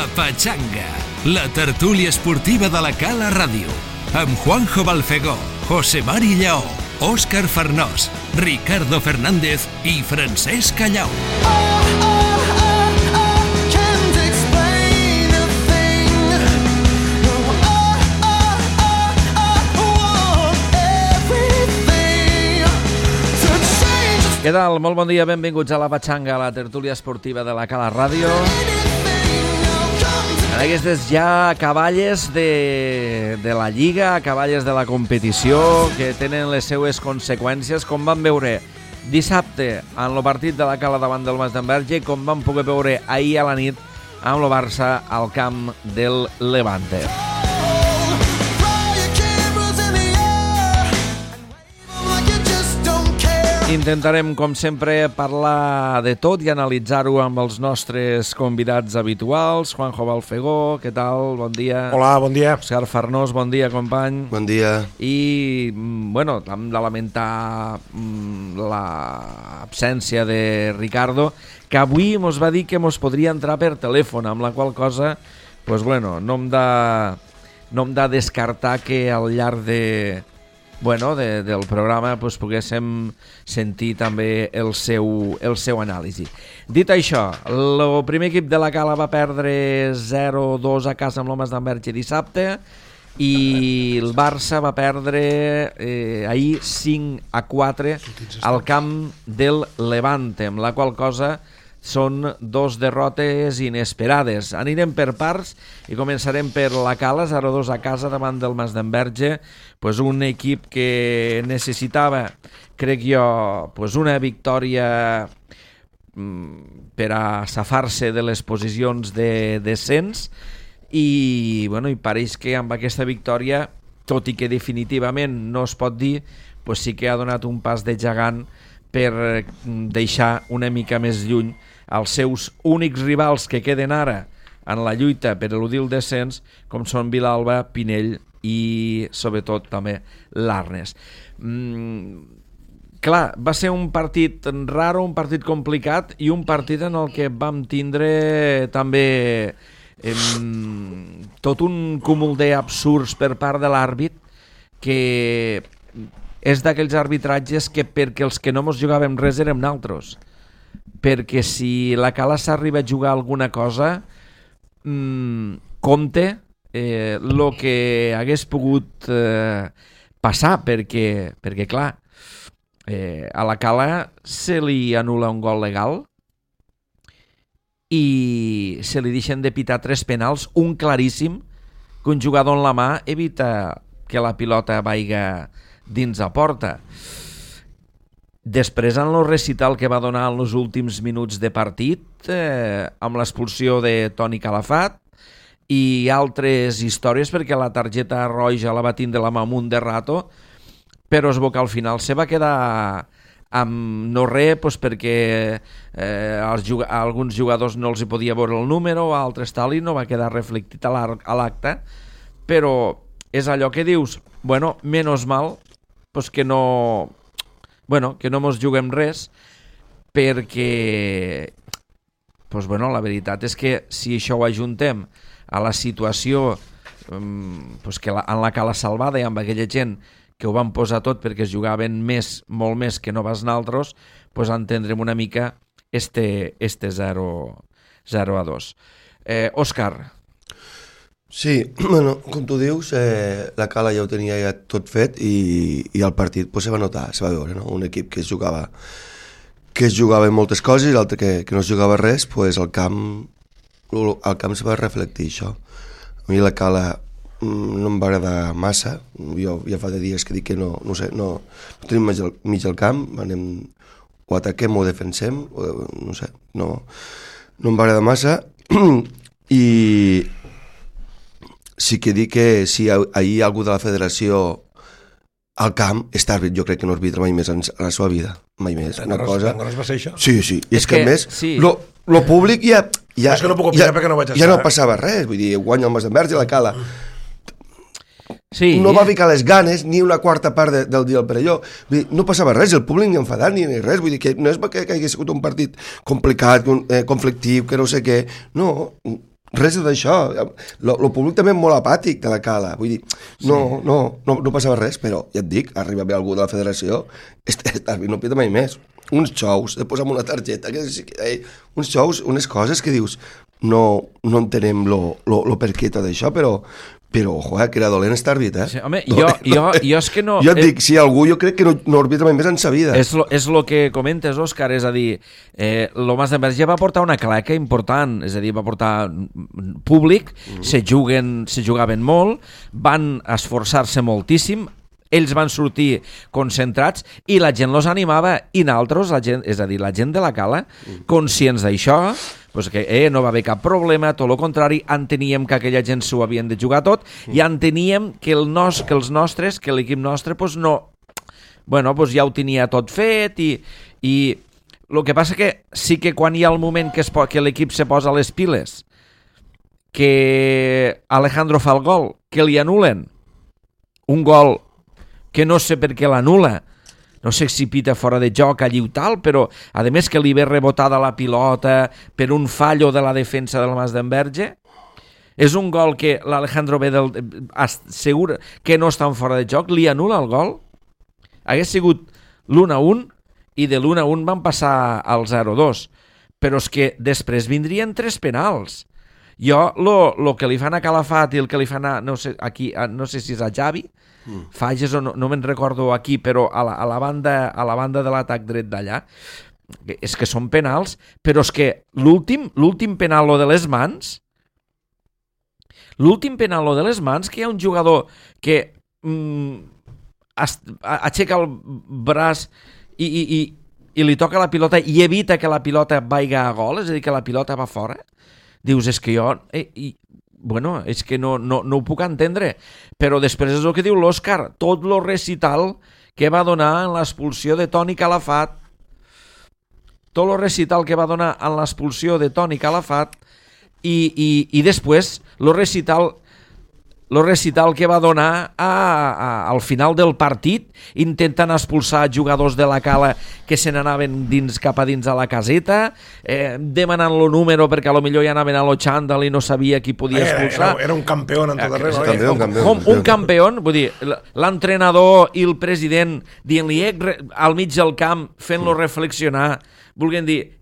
La Pachanga, la tertúlia esportiva de la Cala Ràdio, amb Juanjo Balfegó, José Mari Lleó, Òscar Farnós, Ricardo Fernández i Francesc Callau. Què tal? Molt bon dia, benvinguts a La Pachanga, la tertúlia esportiva de la Cala Ràdio. En aquestes ja acaballes de la Lliga, acaballes de la competició, que tenen les seues conseqüències, com vam veure dissabte en el partit de la Cala davant del Mas d'Enverge i com vam poder veure ahir a la nit amb el Barça al camp del Levante. Intentarem, com sempre, parlar de tot i analitzar-ho amb els nostres convidats habituals. Juanjo Balfegó, què tal? Bon dia. Hola, bon dia. Òscar Farnós, bon dia, company. Bon dia. I, bueno, hem de lamentar l'absència de Ricardo, que avui mos va dir que mos podria entrar per telèfon, amb la qual cosa, pues bueno, no hem de descartar que al llarg del programa poguéssim sentir també el seu anàlisi. Dit això, el primer equip de la Cala va perdre 0-2 a casa amb l'Homes d'Enverge dissabte i el Barça va perdre ahir 5-4 al camp del Levante, amb la qual cosa són dos derrotes inesperades. Anirem per parts i començarem per la Cala, 0-2 a casa davant del Mas d'Enverge, un equip que necessitava, crec jo, una victòria per a safar-se de les posicions de descens i pareix que amb aquesta victòria, tot i que definitivament no es pot dir, sí que ha donat un pas de gegant per deixar una mica més lluny els seus únics rivals que queden ara en la lluita per eludir el descens, com són Vilalba, Pinell i sobretot també l'Arnes. Clar, va ser un partit raro, un partit complicat i un partit en el que vam tindre també tot un cúmul d'absurds per part de l'àrbit, que és d'aquells arbitratges que perquè els que no mos jugàvem res érem naltros, perquè si la Cala s'arriba a jugar alguna cosa, compte el que hagués pogut passar, perquè clar, a la Cala se li anul·la un gol legal i se li deixen de pitar 3 penals, un claríssim, que un jugador en la mà evita que la pilota vaiga dins a porta. Després, en el recital que va donar en els últims minuts de partit, amb l'expulsió de Toni Calafat i altres històries, perquè la targeta roja la va tindre la Mamunt de rato, però es veu que al final se va quedar amb no res, perquè a alguns jugadors no els hi podia veure el número, a altres tal, i no va quedar reflectit a l'acte, però és allò que dius, menys mal que no mos juguem res, perquè la veritat és que si això ho ajuntem a la situació que en la Cala Salvada i amb aquella gent que ho van posar tot perquè es jugaven molt més que no vas naltros, entendrem una mica este 0-2. Òscar. Sí, com tu dius, la Cala ja ho tenia ja tot fet i el partit se va notar, se va veure, no? Un equip que es jugava en moltes coses i l'altre que no es jugava res, al camp se va reflectir això. A mi la Cala no em va agradar massa, jo ja fa de dies que dic que no tenim mig al camp, o ataquem o defensem, no em va agradar massa i sí que dic que si ahir algú de la federació al camp està àrbit, jo crec que no arbitra mai més en la seva vida, mai més. Una cosa... No va ser això? Sí, és que a més, lo públic ja és que no puc opinar perquè no vaig estar. Ja no passava res, vull dir, guanya el Mas d'Enverge i la Cala. Sí. No va ficar les ganes ni una quarta part del dia al Perelló. Vull dir, no passava res, el públic ni enfadat ni res. Vull dir que no és que hagi sigut un partit complicat, conflictiu, que no sé què. No, res d'això. El públic també és molt apàtic de la Cala. Vull dir, no passava res, però ja et dic, arriba bé algú de la federació, no pita mai més. Uns xous, de posar una targeta, uns xous, unes coses que dius, no entenem lo per què tot això, però joder, que era dolent estar arbitrat. Sí, home, jo és que no... Jo et dic, si algú jo crec que no arbitra mai més en sa vida. És lo que comentes, Òscar, és a dir, lo Mas d'Enverge va portar una claca important, és a dir, va portar públic, se jugaven molt, van esforçar-se moltíssim, ells van sortir concentrats i la gent los animava i nosaltres, és a dir, la gent de la Cala, conscients d'això, pues que no va haver cap problema, tot el contrari, enteníem que aquella gent s'ho havien de jugar tot i enteníem que els nostres, que l'equip nostre, pues no, bueno, pues ja ho tenia tot fet i el que passa que sí que quan hi ha el moment que l'equip se posa les piles, que Alejandro fa el gol, que li anulen un gol que no sé per què l'anula, no sé si pita fora de joc allí o tal, però a més que li ve rebotada la pilota per un fallo de la defensa del Mas d'Enverge, és un gol que l'Alejandro ve segur que no estan fora de joc, li anula el gol, hagués sigut l'1-1 i de l'1-1 van passar al 0-2, però és que després vindrien 3 penals. Jo, el que li fan a Calafat i el que li fan a, no sé si és a Javi, Fages o no me'n recordo aquí, però a la banda de l'atac dret d'allà, és que són penals, però és que l'últim penal, lo de les mans, que hi ha un jugador que aixeca el braç i li toca la pilota i evita que la pilota vagi a gol, és a dir, que la pilota va fora, dius, és que jo... Bueno, és que no ho puc entendre, però després és el que diu l'Òscar, tot el recital que va donar en l'expulsió de Toni Calafat, i després el recital que va donar al final del partit, intentant expulsar jugadors de la Cala que se n'anaven cap a dins a la caseta, demanant el número perquè potser ja anaven a lo xandall i no sabia qui podia expulsar. Era un campió en tot arreu. Un campió, vull dir, l'entrenador i el president dient-li al mig del camp, fent-lo reflexionar, volguent dir,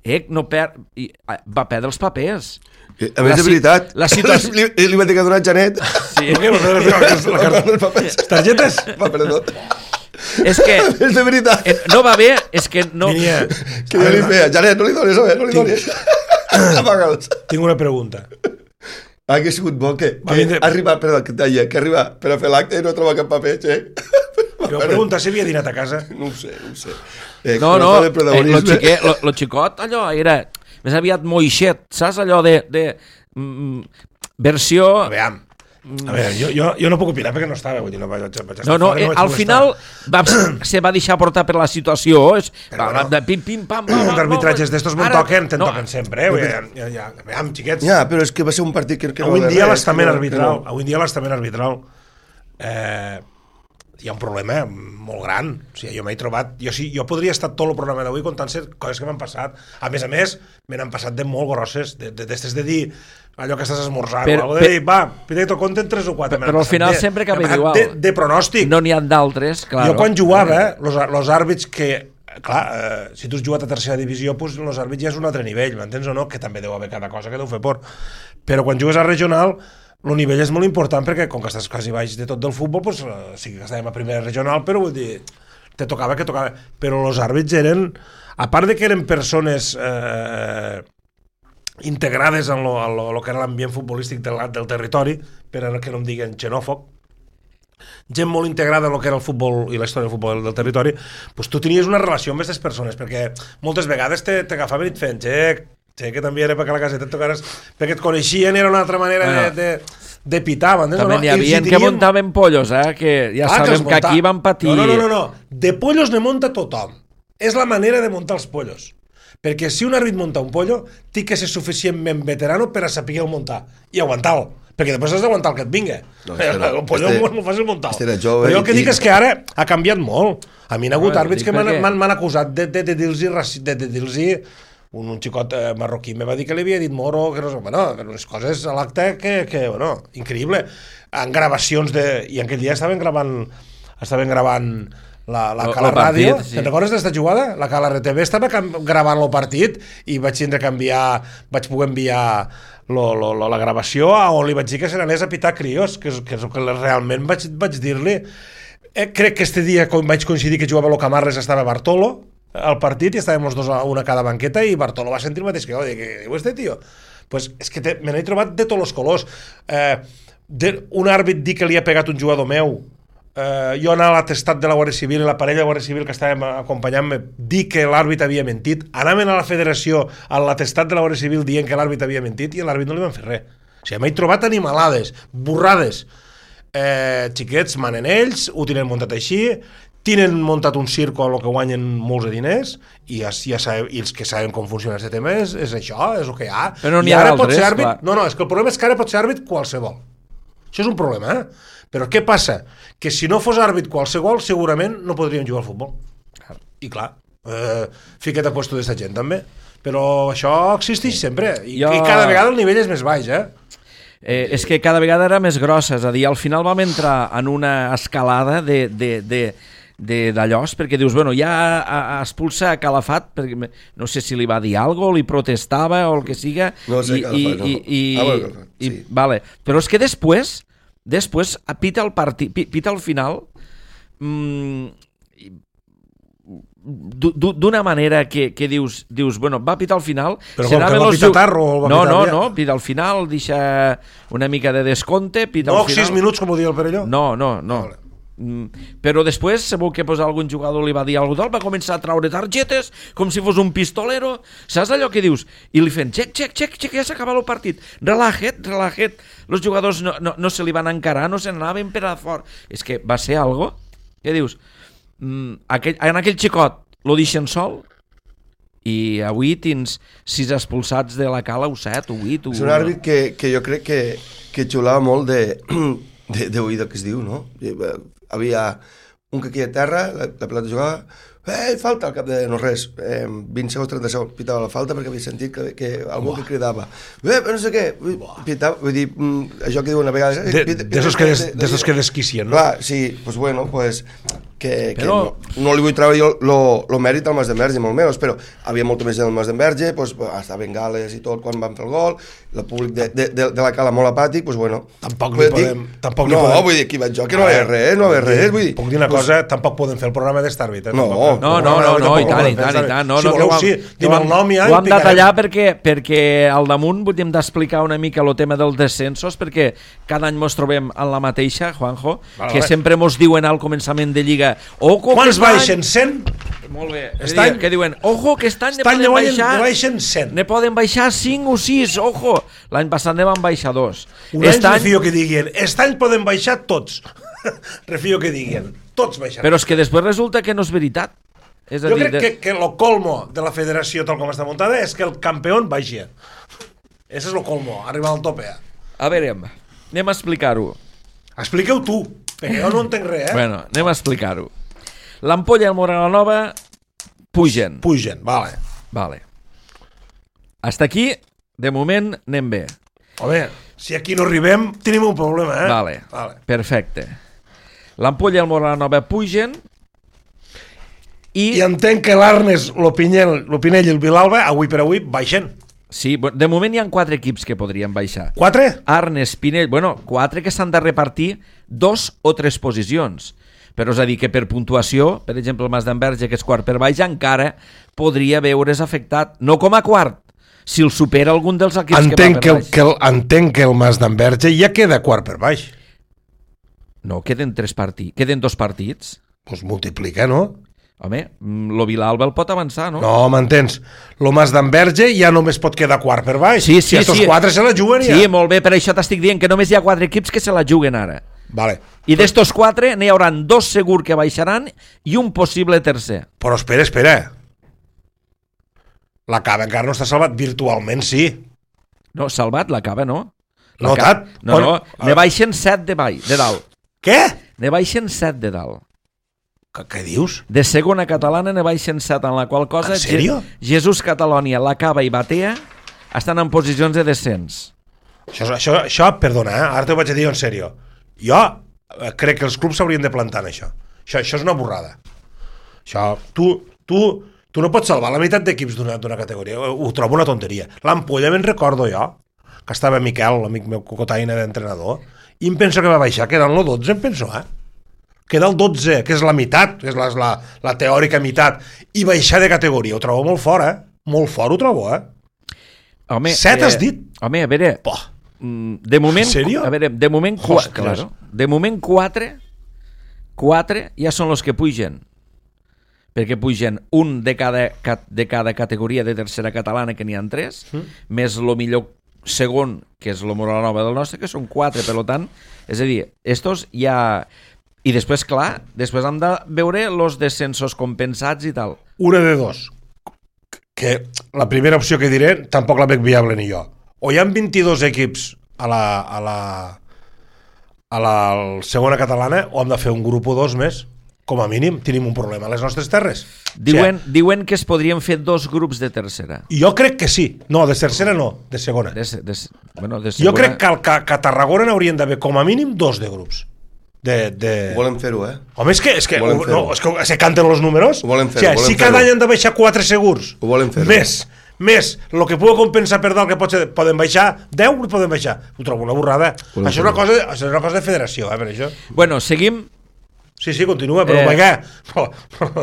va perdre els papers. A més, de veritat, li va dir que ha donat Janet. Sí. Les targetes? Va perdre tot. És que... És de veritat. No va bé, és que no... Que jo li feia, Janet, no li donis, no li donis. Apaga'ls. Tinc una pregunta. Ha sigut bo que arriba, perdó, que deia, que arriba per a fer l'acte i no troba cap paper, xec. Jo pregunta si havia dinat a casa. No ho sé. No, lo xicot, allò era... Més aviat moixet, saps allò de versió... A veure, jo no puc opinar perquè no estava, vull dir, no vaig estar... Al final se va deixar portar per la situació, de pim-pim-pam... Els arbitratges d'estos me'n toquen sempre, Aviam, xiquets... Ja, però és que va ser un partit que... Avui en dia l'estament arbitral... Hi ha un problema molt gran. O sigui, jo m'he trobat... Jo podria estar tot el programa d'avui contant-se coses que m'han passat. A més, me n'han passat de molt grosses, d'estes de dir allò que estàs esmorzant, o de dir, va, pita que t'ho compten 3 o 4. Però al final sempre acaba igual. De pronòstic. No n'hi ha d'altres, clar. Jo quan jugava, els àrbits que... Clar, si tu has jugat a tercera divisió, doncs els àrbits ja és un altre nivell, m'entens o no? Que també deu haver cada cosa que deu fer por. Però quan jugues a regional... El nivell és molt important perquè, com que estàs quasi baix de tot del futbol, doncs sí que estàvem a primera regional, però vull dir, te tocava que tocava. Però els àrbits eren, a part de que eren persones integrades en lo que era l'ambient futbolístic del territori, per que no em diguen xenòfob, gent molt integrada en el que era el futbol i la història del futbol del territori, doncs tu tenies una relació amb aquestes persones, perquè moltes vegades t'agafaven i et feien que també era perquè a la caseta et tocares, perquè et coneixien, era una altra manera de pitar, m'entens? També n'hi havia que muntaven pollos, que ja sabem que aquí van patir... No, de pollos ne munta tothom. És la manera de muntar els pollos. Perquè si un àrbit munta un pollo, té que ser suficientment veterano per a saber muntar i aguantar-lo. Perquè després has d'aguantar el que et vinga. El pollo és molt fàcil muntar-lo. Però jo el que dic és que ara ha canviat molt. A mi n'ha hagut àrbits que m'han acusat de dir-los un xicot marroquí me va dir que li havia dit moro, que no sé, bueno, unes coses a l'acte que bueno, increïble. En gravacions i aquell dia estaven gravant la Cala Ràdio, sí. Te'n recordes d'esta jugada? La Cala RTV estava gravant el partit i vaig poder enviar la gravació on li vaig dir que se n'anés a pitar crios, que és el que realment vaig dir-li. Crec que este dia vaig coincidir que jugava el Camarles, estava Bartolo al partit i estàvem els dos a una cada banqueta i Bartolo va sentir el mateix que jo, què diu este tio? Pues és que me n'he trobat de tots els colors. Un àrbit dir que li ha pegat un jugador meu, jo anar a l'atestat de la Guàrdia Civil i la parella de Guàrdia Civil que estàvem acompanyant-me dir que l'àrbit havia mentit, anaven a la federació a l'atestat de la Guàrdia Civil dient que l'àrbit havia mentit i a l'àrbit no li van fer res. O sigui, m'he trobat animalades, burrades. Xiquets manen ells, ho tenen muntat així, tenen muntat un circo a lo que guanyen molts de diners i els que saben com funciona aquest tema és això, és el que hi ha. Però n'hi ha d'altres, clar. No, és que el problema és que ara pot ser àrbit qualsevol. Això és un problema, Però què passa? Que si no fos àrbit qualsevol, segurament no podríem jugar al futbol. I clar, fica't a puesto d'esta gent també. Però això existeix sempre. I cada vegada el nivell és més baix, és que cada vegada era més grossa, és a dir, al final vam entrar en una escalada d'allò, perquè dius, bueno, ja expulsa Calafat, perquè no sé si li va dir alguna cosa, li protestava o el que siga. No sé, Calafat, no. Vale. Però és que després pita el partit, pita el final d'una manera que dius, bueno, va pitar al final. Però com que va pitar tard o el va pitar bé? No, pita al final, deixa una mica de descompte, pita al final. 6 minuts, com ho diu el Perelló? No. Vale. Però després, segur que algun jugador li va dir alguna cosa, va començar a traure targetes com si fos un pistolero, saps allò que dius? I li feien, xec, ja s'acaba el partit, relaja't, els jugadors no se li van encarar, no se n'anaven per a fora. És que va ser algo que dius, en aquell xicot lo deixen sol i avui tens 6 expulsats de la Cala o 7 o 8 és un àrbit que jo crec que xulava molt d'oïda que es diu, no? Havia un que aquí a terra, la pilota jugava, falta al cap de no res, 20 segons, 30 segons, pitava la falta perquè havia sentit que algú que cridava, però no sé què, pitava, vull dir, això que diuen a vegades... D'esos que desquicien, no? Clar, sí, doncs bueno, doncs... que no li vull treure jo el mèrit al Mas d'Enverge, molt menys, però havia molta més gent al Mas d'Enverge, hasta bengales i tot quan van fer el gol, el públic de la Cala molt apàtic, doncs bueno... Tampoc li podem... vull dir, aquí vaig jo, que no hi ha res, vull dir... Puc dir una cosa, tampoc podem fer el programa d'estàrbit, No, i tant. Si voleu, sí, dim el nom ja... Ho hem de tallar perquè al damunt hem d'explicar una mica el tema dels descensos, perquè cada any mos trobem en la mateixa, Juanjo, que sempre mos diuen al començament de Lliga quants baixen? 100? Molt bé. Que diuen, ojo, que aquest any ne poden baixar 5 o 6, ojo. L'any passat ne van baixar 2. Un any refio que diguin, aquest any poden baixar tots. Refio que diguin, tots baixaran. Però és que després resulta que no és veritat. Jo crec que el colmo de la federació tal com està muntada és que el campió baixi. Ese és el colmo, arribar al tope. A veure, anem a explicar-ho. Expliqueu tu, perquè jo no entenc res, Bueno, anem a explicar-ho. L'Ampolla i el Moranova pugen. Vale. Hasta aquí, de moment, anem bé. Home, si aquí no arribem, tenim un problema, Vale. Perfecte. L'Ampolla i el Moranova pugen i entenc que l'Arnes, l'Opinell i el Vilalba, avui per avui, baixen. Sí, de moment hi ha 4 equips que podrien baixar. 4? Arnes, Pinell, 4 que s'han de repartir 2 o 3 posicions. Però és a dir que per puntuació, per exemple el Mas d'Enverge, que és quart per baix, encara podria veure's afectat, no com a quart, si el supera algun dels equips que va per baix. Entenc que el Mas d'Enverge ja queda quart per baix. No, queden 2 partits. Doncs multiplica, no? Home, lo Vilalba el pot avançar, no? No, m'entens? Lo Mas d'Enverge ja només pot quedar quart per baix. Sí. I estos 4 se la juguen ja. Sí, molt bé, per això t'estic dient que només hi ha 4 equips que se la juguen ara. Vale. I d'estos 4 n'hi haurà 2 segur que baixaran i un possible tercer. Però espera. La Cava encara no està salvat, virtualment sí. No, salvat, la Cava no. No, ne baixen 7 de dalt. Què? Ne baixen 7 de dalt. Què dius? De segona catalana ne baixen 7, en la qual cosa... En sèrio? Jesús Catalònia, La Cava i Batea estan en posicions de descens. Això, perdona, ara t'ho vaig a dir en sèrio. Jo crec que els clubs s'haurien de plantar en això. Això és una borrada. Això, tu no pots salvar la meitat d'equips d'una categoria. Ho trobo una tonteria. L'Ampolla me'n recordo jo, que estava Miquel, l'amic meu cocotaina d'entrenador, i em penso que va baixar, queda en el 12, em penso, queda el 12, que és la meitat, que és la teòrica meitat, i baixar de categoria, ho trobo molt fort, Molt fort ho trobo, Home, 7 has dit? Home, a veure... Poh. De moment, ¿En serio? a veure, de moment, claro, de moment 4 ja són els que pugen, perquè pugen un de cada categoria de tercera catalana, que n'hi ha 3, més el millor segon, que és el Moralanova del nostre, que són 4, per tant, és a dir, estos ja... I després, clar, després hem de veure els descensos compensats i tal. Una de dos, que la primera opció que diré tampoc la veig viable ni jo. O hi ha 22 equips a la segona catalana, o hem de fer un grup o 2 més. Com a mínim tenim un problema a les nostres terres. Diuen que es podrien fer 2 grups de tercera. Jo crec que sí. No, de tercera no, de segona. De segona... Jo crec que a Tarragona n'haurien d'haver com a mínim 2 de grups. Volem fer-ho, Home, és que se canten els números. Si cada any han de baixar 4 segurs, ho volem fer-ho. Més el que pugui compensar per dalt, que poden baixar 10, poden baixar. Ho trobo una borrada. Això és una cosa de federació, per això. Bueno, seguim. Sí, continua, però vaja.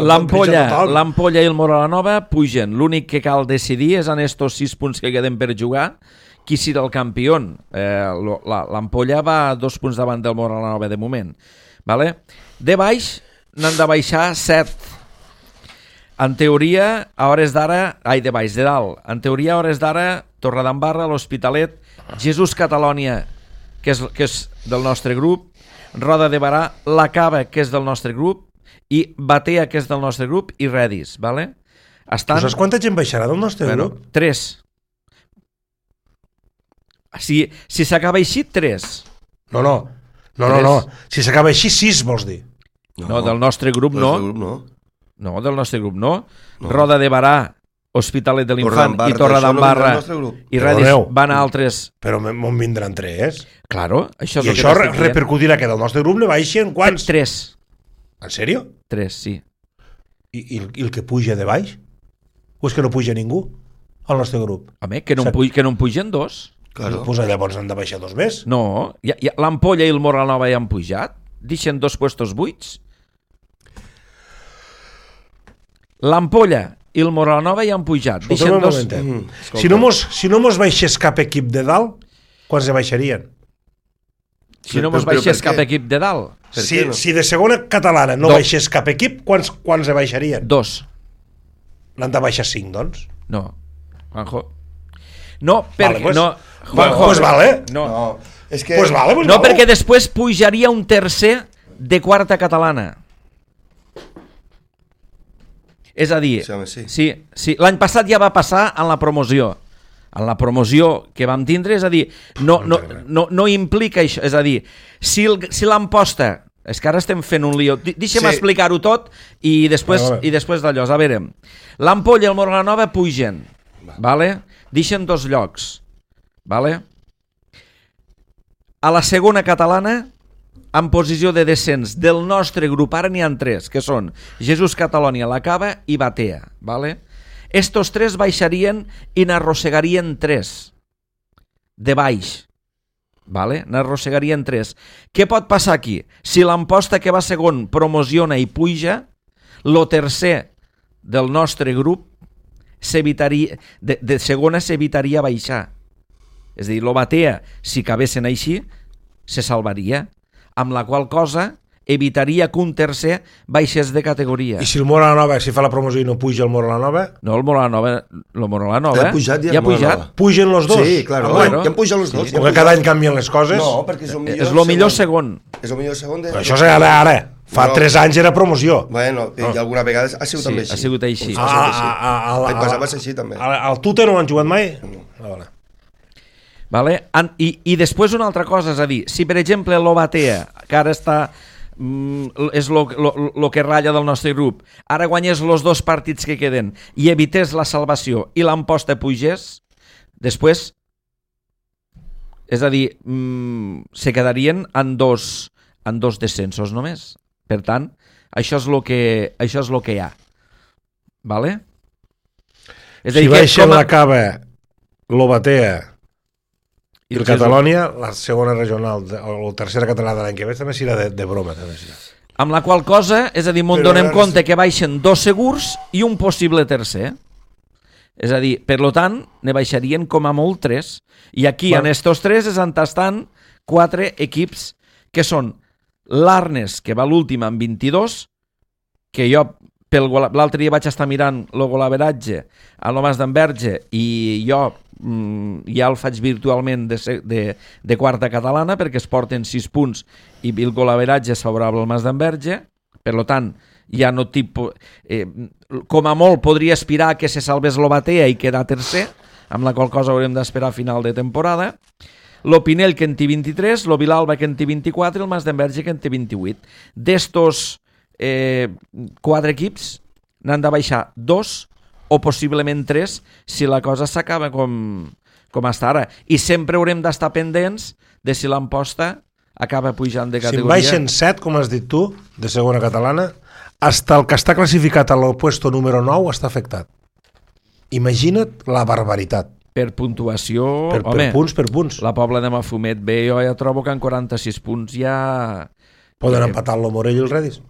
L'Ampolla i el Moralanova pugen. L'únic que cal decidir és en estos 6 punts que queden per jugar qui serà el campió. L'Ampolla va 2 punts davant del Moralanova de moment. Vale? De baix n'han de baixar 7. En teoria, a hores d'ara... de baix, de dalt. En teoria, a hores d'ara, Torredembarra, l'Hospitalet, Jesús Catalònia, que és del nostre grup, Roda de Barà, La Cava, que és del nostre grup, i Batea, que és del nostre grup, i Redis, ¿vale? Saps quanta gent baixarà del nostre grup? 3. Si s'acaba així, 3. No. Si s'acaba així, 6, vols dir? No, del nostre grup no. No, del nostre grup no. Roda de Barà, Hospitalet de l'Infant i Torredembarra i Redis van a altres... Però m'on vindran 3? Claro, això és i això repercutirà que del nostre grup ne baixen quants? 3. En sèrio? 3, sí. I el que puja de baix? O és que no puja ningú al nostre grup? Home, que no en pugen 2. Claro. Pues llavors han de baixar 2 més. No, l'Ampolla i el Moralanova ja han pujat. Deixen 2 puestos buits. L'Ampolla i el Moralanova ja han pujat. Deixen 2... Si no mos baixés cap equip de dalt, quants se baixarien? Si no mos baixés cap equip de dalt? Si de segona catalana no baixés cap equip, quants se baixarien? 2. N'han de baixar 5, doncs? No, Juanjo. No, perquè... Vale, no, Juanjo, pues vale. No, és que... Pues vale, no, perquè després pujaria un tercer de quarta catalana. És a dir, sí. L'any passat ja va passar en la promoció. En la promoció que vam tindre, és a dir, no implica això. És a dir, si l'emposta... És que ara estem fent un lío. Deixa'm explicar-ho tot i després d'allò. A veure, l'Ampolla i el Moralanova pugen, vale? Deixen 2 llocs. Vale? A la segona catalana, en posició de descens del nostre grup, ara n'hi ha 3, que són Jesús Catalònia, La Cava i Batea. Vale? Estos 3 baixarien i n'arrossegarien 3 de baix. Vale? N'arrossegarien 3. Què pot passar aquí? Si l'emposta que va segon promociona i puja, lo tercer del nostre grup de segona s'evitaria baixar. És a dir, lo Batea, si acabessin així, se salvaria, amb la qual cosa evitaria que un tercer baixés de categoria. I si el Moralanova, si fa la promoció i no puja el Moralanova? No, el Moralanova ja ha pujat. Pugen los dos? Sí, claro. Ja han pujat los dos. Perquè cada any canvien les coses? No, perquè és el millor segon. És el millor segon de... Però això és ara. Fa 3 anys era promoció. Bueno, i alguna vegada ha sigut també així. Ha sigut així. L'any passat va ser així també. Al Tute no han jugat mai? No. Vale? I després una altra cosa, és a dir, si per exemple l'Obatea, que ara està és lo que ratlla del nostre grup, ara guanyés els 2 partits que queden i evités la salvació i l'Amposta pugés, després, és a dir, se quedarien en dos descensos només. Per tant, això és lo que hi ha. Vale? És a dir, si baixen la Cava, l'Obatea i el Catalònia, la segona regional o tercera catalana de l'any que ve també serà de broma. També serà. Amb la qual cosa, és a dir, m'ho donem compte que baixen 2 segurs i un possible tercer. És a dir, per lo tant, ne baixarien com a molt 3. I aquí, en estos 3, es entastant 4 equips que són l'Arnes, que va l'últim amb 22, que jo l'altre dia vaig estar mirant el golaveratge a l'Omas d'Enverge i jo ja el faig virtualment de quarta catalana perquè es porten 6 punts i el golaveratge és favorable al Mas d'Enverge, per tant ja no com a molt podria aspirar que se salvés l'Obatea i quedar tercer, amb la qual cosa haurem d'esperar a final de temporada. L'Opinel que en té 23, l'Ovilalba que en té 24 i el Mas d'Enverge que en té 28. D'estos 4 equips n'han de baixar 2 o possiblement 3 si la cosa s'acaba com està ara, i sempre haurem d'estar pendents de si l'Amposta acaba pujant de categoria. Si en baixen 7, com has dit tu, de segona catalana, hasta el que està classificat a l'opuesto número 9 està afectat. Imagina't la barbaritat. Per puntuació, per punts. La Pobla de Mafumet bé, jo ja trobo que en 46 punts ja... Poden empatar el Morell i el Redis.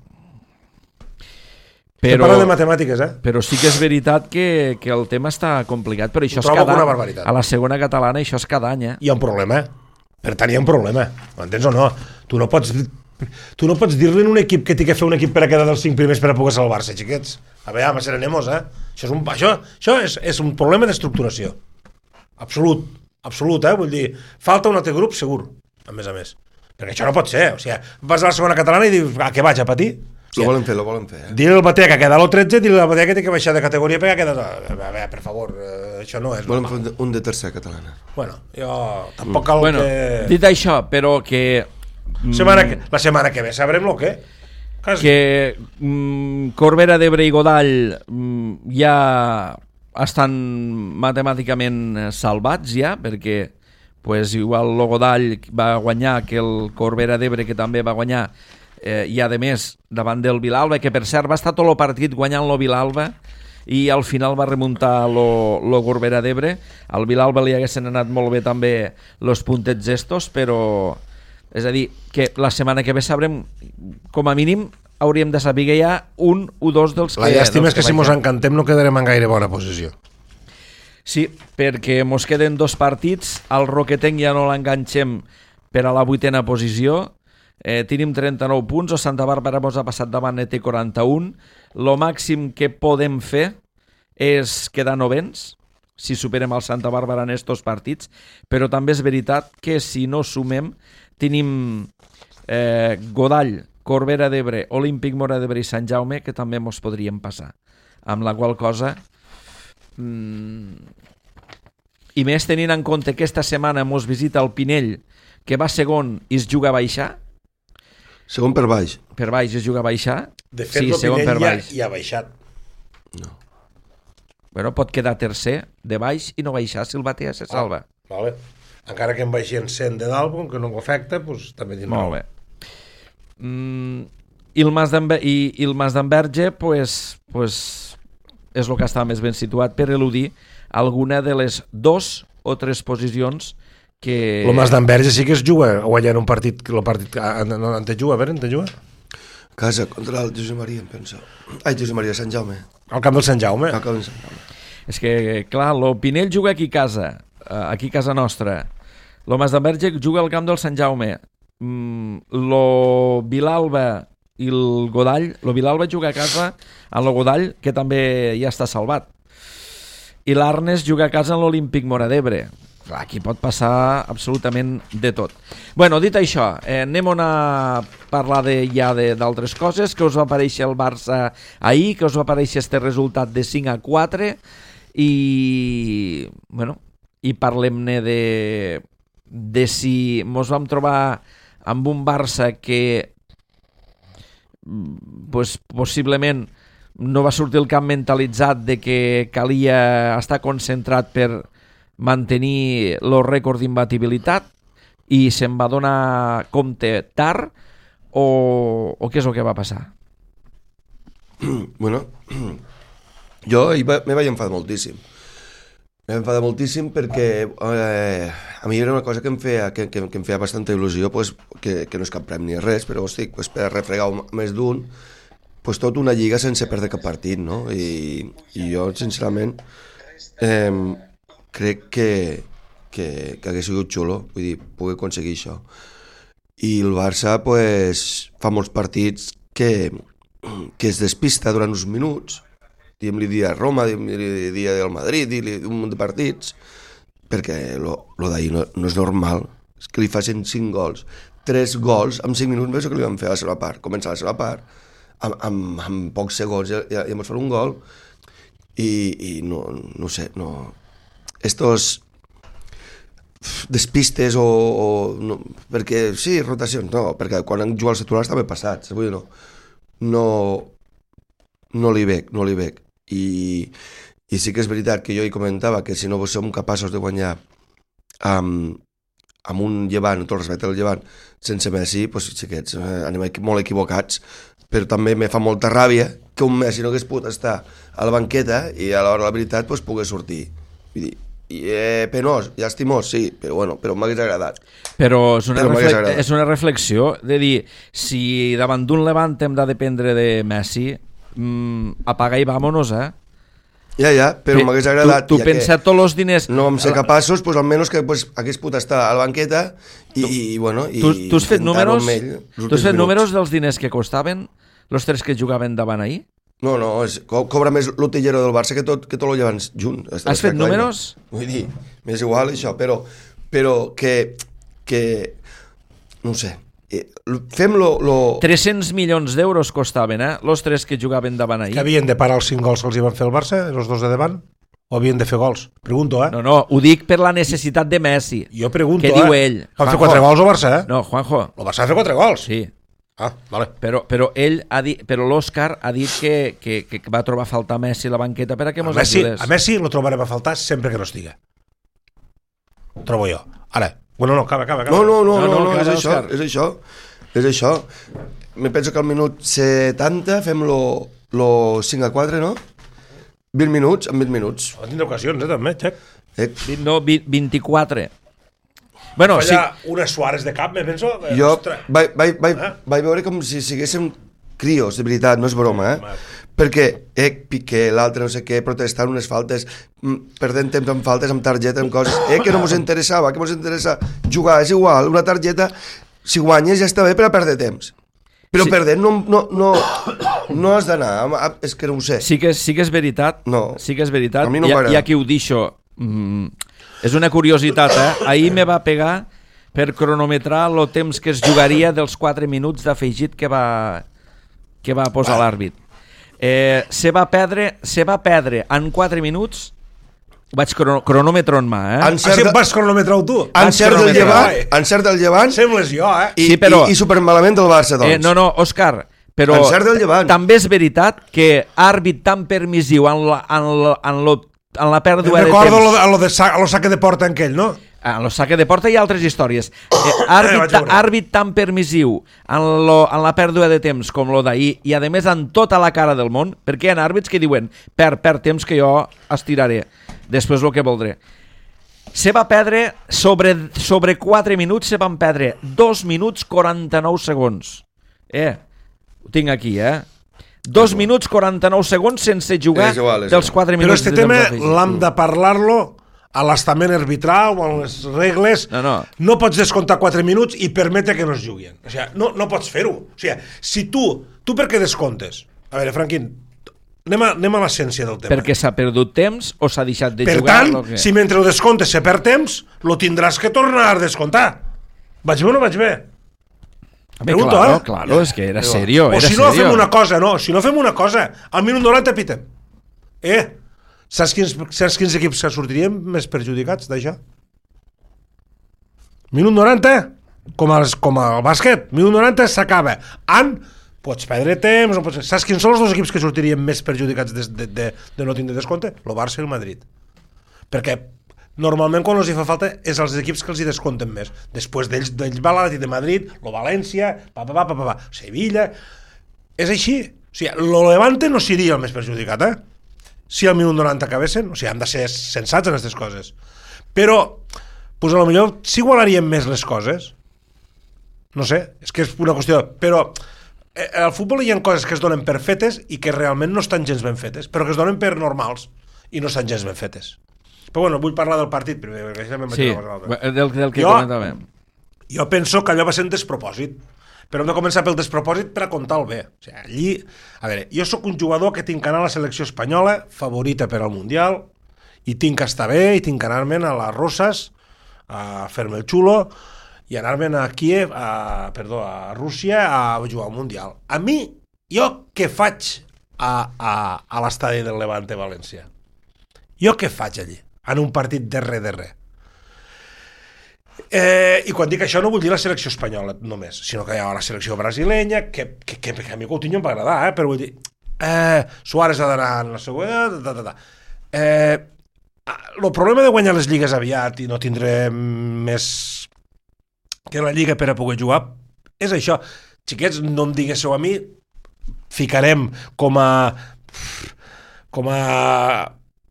Però, parla de matemàtiques, però sí que és veritat que el tema està complicat, però això és cada any. A la segona catalana això és cada any. Hi ha un problema. Per tant, hi ha un problema. M'entens o no? Tu no pots dir-li a un equip que té que fer un equip per a quedar dels 5 primers per a poder salvar-se, xiquets. A veure, serenemos, Això és un problema d'estructuració. Absolut, Vull dir, falta un altre grup segur, a més. Perquè això no pot ser. O sigui, vas a la segona catalana i dius, què vaig a patir? Lo volen fer. Dir el Batea que queda a l'13, dir el Batea que té que baixar de categoria perquè ha quedat... A veure, per favor, això no és... Volen fer un de tercera catalana. Bueno, jo tampoc cal que... Dit això, però que... La setmana que ve sabrem el què. Que Corbera d'Ebre i Godall ja estan matemàticament salvats ja, perquè igual el Godall va guanyar que el Corbera d'Ebre, que també va guanyar, i a més davant del Vilalba, que per cert va estar tot el partit guanyant el Vilalba i al final va remuntar el Corbera d'Ebre. Al Vilalba li haguessin anat molt bé també els puntets estos, però és a dir, que la setmana que ve sabrem, com a mínim hauríem de saber que hi ha un o dos dels que... La llàstima és que si mos encantem no quedarem en gaire bona posició. Sí, perquè mos queden 2 partits, al Roquetenc ja no l'enganxem per a la 8a posició. Tenim 39 punts, o Santa Bàrbara mos ha passat davant, té 41. Lo màxim que podem fer és quedar novens si superem el Santa Bàrbara en estos partits, però també és veritat que si no sumem tenim Godall, Corbera d'Ebre, Olímpic Mora d'Ebre i Sant Jaume, que també mos podrien passar, amb la qual cosa i més tenint en compte que aquesta setmana mos visita el Pinell, que va segon i es juga a baixar. Segon per baix. Per baix es juga a baixar. De fet, sí, el Pinell ja ha baixat. No. Bueno, pot quedar tercer de baix i no baixar si el Batea se salva. Vale. Encara que en baixin 100 de dalt, com que no ho afecta, doncs també tindrà. Molt bé. I el Mas d'Enverge pues, és el que està més ben situat per eludir alguna de les 2 o 3 posicions que... El Mas d'Enverge sí que es juga guanyant un partit, el partit en te juga, a veure, en te juga? Casa contra el Josep Maria, em penso. Josep Maria, Sant Jaume. Al camp del Sant Jaume. Al camp del Sant Jaume. És que, clar, el Pinell juga aquí a casa nostra. El Mas d'Enverge juga al camp del Sant Jaume. Lo Vilalba i el Godall, el Vilalba juga a casa a lo Godall, que també ja està salvat. I l'Arnes juga a casa en l'Olímpic Mora d'Ebre. Aquí pot passar absolutament de tot. Bueno, dit això, anem a parlar ja d'altres coses. Que us va aparèixer el Barça ahir, que us va aparèixer este resultat de 5-4 i bueno, i parlem-ne de si mos vam trobar amb un Barça que pues, possiblement no va sortir el camp mentalitzat de que calia estar concentrat per mantenir el rècord d'imbatibilitat i se'n va donar compte tard o què és el que va passar? Bueno, jo me vaig enfadar moltíssim. Me vaig enfadar moltíssim perquè a mi era una cosa que em feia bastanta il·lusió, pues, que no és cap premi ni res, però hosti, pues, per refregar més d'un, pues, tot una lliga sense perdre cap partit, no? I jo, sincerament, crec que hagués sigut xulo, vull dir, poder aconseguir això. I el Barça, pues, fa molts partits que es despista durant uns minuts, diguem-li dia a Roma, diguem-li dia del Madrid, diguem-li un munt de partits, perquè lo d'ahir no és normal, és que li facin 5 gols. 3 gols en 5 minuts, més que li van fer a la seva part. Comença la seva part, amb pocs segons ja ens fan un gol, i no sé, no... Estos despistes no, perquè sí, rotacions, no, perquè quan han jugat els titulars també passats, vull dir, no li veig. I sí que és veritat que jo hi comentava que si no som capaços de guanyar amb un Llevant, tot el respecte al Llevant, sense Messi, doncs xiquets, anem molt equivocats, però també me fa molta ràbia que un Messi no hagués pogut estar a la banqueta i a l'hora de la veritat doncs, pogués sortir. Vull dir, penós, llàstimós, sí, però m'hagués agradat. Però és una reflexió de dir, si davant d'un Levant hem de dependre de Messi, apaga i vámonos, Ja, però m'hagués agradat. Tu pensa tots els diners... No vam ser capaços, doncs almenys que hagués pogut estar a la banqueta i bueno... Tu has fet números dels diners que costaven els 3 que jugaven davant ahir? No, cobra més l'Utillero del Barça que tot lo llevan junt. Has fet números? Vull dir, m'és igual això, però que no ho sé, fem-lo... 300 milions d'euros costaven, els 3 que jugaven davant ahir. Que havien de parar els 5 gols que els hi van fer el Barça, els 2 de davant? O havien de fer gols? Pregunto, No, ho dic per la necessitat de Messi. Jo pregunto, què diu ell? Han fet 4 gols al Barça, No, Juanjo. El Barça ha fet 4 gols? Sí. Vale. Però ell ha dit, però l'Òscar ha dit que va trobar a faltar Messi a la banqueta per a que mos ajudés. A Messi lo trobarem a faltar sempre que no estiga. Trobo jo. Ara, bueno, acaba. No, és això. Me penso que al minut 70 fem lo 5-4, no? 20 minuts, en 20 minuts. Va tindre ocasions, també, Xec. 24. Bueno, Falla unes Suárez de cap, me penso. Jo vaig veure com si siguéssim crios, de veritat, no és broma, perquè Piqué, l'altre no sé què, protestant unes faltes, perdent temps amb faltes, amb targeta, amb coses, que no mos interessava, que mos interessa jugar, és igual, una targeta, si guanyes ja està bé per a perdre temps. Però perdent no has d'anar, és que no ho sé. Sí que és veritat, sí que és veritat, a mi no m'agrada. Hi ha qui ho deixo, és una curiositat, ahir me va pegar per cronometrar el temps que es jugaria dels 4 minuts d'afegit que va posar l'àrbit. Se va perdre en 4 minuts. Vaig cronòmetre en mà, vas cronometrar tu? Encert del Llevant sembles jo, i supermalament del Barça, doncs. No, Òscar, però també és veritat que àrbit tan permissiu en la pèrdua de temps. Recordo a lo saque de porta aquell, no? En lo saque de porta hi ha altres històries. Àrbit tan permissiu en la pèrdua de temps com lo d'ahir, i a més en tota la cara del món, perquè hi ha àrbits que diuen perd temps que jo estiraré després el que voldré. Se va perdre sobre 4 minuts, se van perdre 2 minuts 49 segons. Ho tinc aquí, 2 minuts 49 segons sense jugar dels 4 minuts. Però este tema l'hem de parlar-lo a l'estament arbitral o a les regles. No pots descomptar 4 minuts i permetre que no es juguin. O sigui, no pots fer-ho. O sigui, si tu per què descomptes? A veure, Franquín, anem a l'essència del tema. Perquè s'ha perdut temps o s'ha deixat de jugar? Per tant, si mentre ho descomptes se perd temps, lo tindràs que tornar a descomptar. Vaig bé o no vaig bé? Pregunto, claro, és que era serio. O si no fem una cosa, al minut 90 pitem. Saps quins equips que sortirien més perjudicats d'això? Minut 90, com al bàsquet, minut 90 s'acaba. pots perdre temps, no pots... Saps quins són els dos equips que sortirien més perjudicats de no tindre descompte? El Barça i el Madrid. Perquè normalment quan els hi fa falta és els equips que els hi descompten més. Després d'ells va l'Atlètic de Madrid, el València, Sevilla... És així. O sigui, el Levante no seria el més perjudicat, si al minut 90 acabessin. O sigui, hem de ser sensats en aquestes coses. Però, pues a lo millor s'igualarien més les coses. No sé, és que és una qüestió... Però al futbol hi ha coses que es donen per fetes i que realment no estan gens ben fetes, però que es donen per normals i no estan gens ben fetes. Però bueno, vull parlar del partit primer, perquè això sí, del que comentàvem. Jo penso que allò va ser un despropòsit, però hem de començar pel despropòsit per a contar el bé. O sigui, allí, a veure, jo sóc un jugador que tinc que anar a la selecció espanyola, favorita per al Mundial, i tinc que estar bé, i tinc que anar-me'n a les Roses, a fer-me el xulo, i anar-me'n a Kiev, a Rússia, a jugar al Mundial. A mi, jo què faig a l'estadi del Levante València? Jo què faig allí? En un partit de res. I quan dic això no vull dir la selecció espanyola només, sinó que hi ha la selecció brasilenya, que a mi Coutinho em va agradar, però vull dir, Suárez ha d'anar en la següent, el problema de guanyar les lligues aviat i no tindre més que la lliga per a poder jugar és això. Xiquets, no em diguéssiu a mi, ficarem com a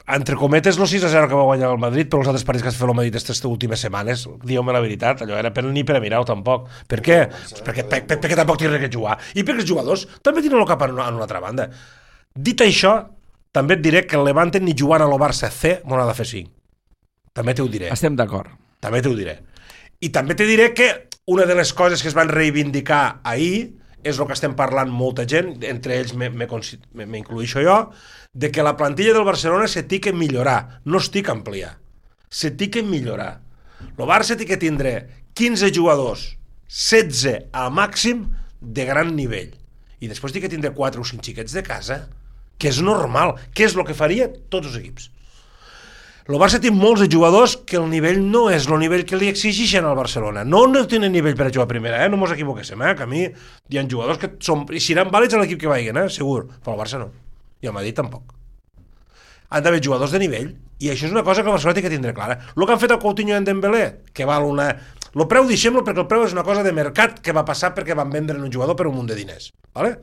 entre cometes, no 6-0 que va guanyar el Madrid, però els altres partits que has fet el Madrid aquestes últimes setmanes, dieu-me la veritat, allò era ni per a mirar-ho tampoc. Per què? Perquè tampoc tenen que jugar. I perquè els jugadors també tenen el cap en una altra banda. Dit això, també et diré que el Levante ni jugant a lo Barça C m'ho ha de fer 5. També t'ho diré. Estem d'acord. També t'ho diré. I també te diré que una de les coses que es van reivindicar ahir és el que estem parlant molta gent, entre ells m'incluïxo jo, de que la plantilla del Barcelona se té que millorar, no es té que ampliar, se té que millorar. El Barça té que tindre 15 jugadors, 16 al màxim de gran nivell, i després té que tindre 4 o 5 xiquets de casa, que és normal, que és el que faria tots els equips. El Barça té molts de jugadors que el nivell no és el nivell que li exigeixen al Barcelona. No tenen nivell per a jugar a primera, no mos equivoquéssim, que a mi hi ha jugadors que i seran vàlids a l'equip que vagin, segur, però el Barça no. I el Madrid tampoc. Han d'haver jugadors de nivell, i això és una cosa que el Barcelona té que tindre clara. El que han fet el Coutinho i en Dembélé, que val una... El preu, deixem-lo, perquè el preu és una cosa de mercat que va passar perquè van vendre un jugador per un munt de diners. ¿Vale?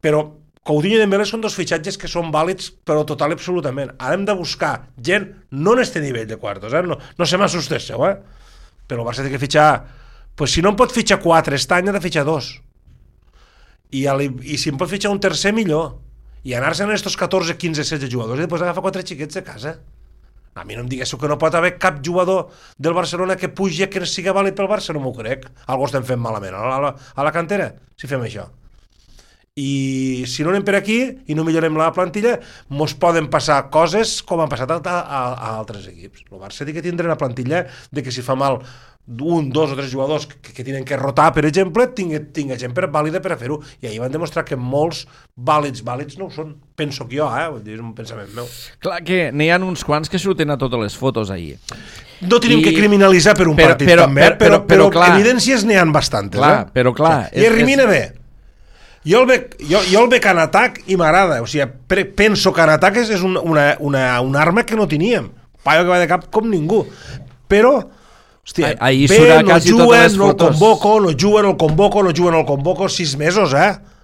Però Coutinho i Dembélé són dos fitxatges que són vàlids, però total i absolutament. Ara hem de buscar gent, no en este nivell de quartos, no se m'assusteu, però el Barça té que fitxar... Pues si no em pot fitxar 4 aquest any, ha de fitxar 2. I si em pot fitxar un tercer, millor. I anar-se'n a estos 14, 15, 16 jugadors i després agafar 4 xiquets de casa. A mi no em diguéssiu que no pot haver cap jugador del Barcelona que pugi que sigui vàlid pel Barça, no m'ho crec. Algú estem fent malament a la cantera, si fem això. I si no anem per aquí i no millorem la plantilla, mos poden passar coses com han passat a altres equips. El Barça té que tindre una plantilla de que si fa mal 1, 2 o 3 jugadors que tenen que rotar, per exemple, tinga gent vàlida per a fer-ho. I ahir van demostrar que molts vàlids no ho són. Penso que jo, vull dir, és un pensament meu. Clar que n'hi ha uns quants que surten a totes les fotos ahir. No tenim que criminalitzar per un partit també, però evidències n'hi ha bastantes. Clar, però clar... I Rimina bé. Jo el veig en atac i m'agrada. O sigui, penso que en atac és una arma que no teníem. Paio que va de cap com ningú. Però, hòstia, bé, no juguen, no el convoco 6 mesos,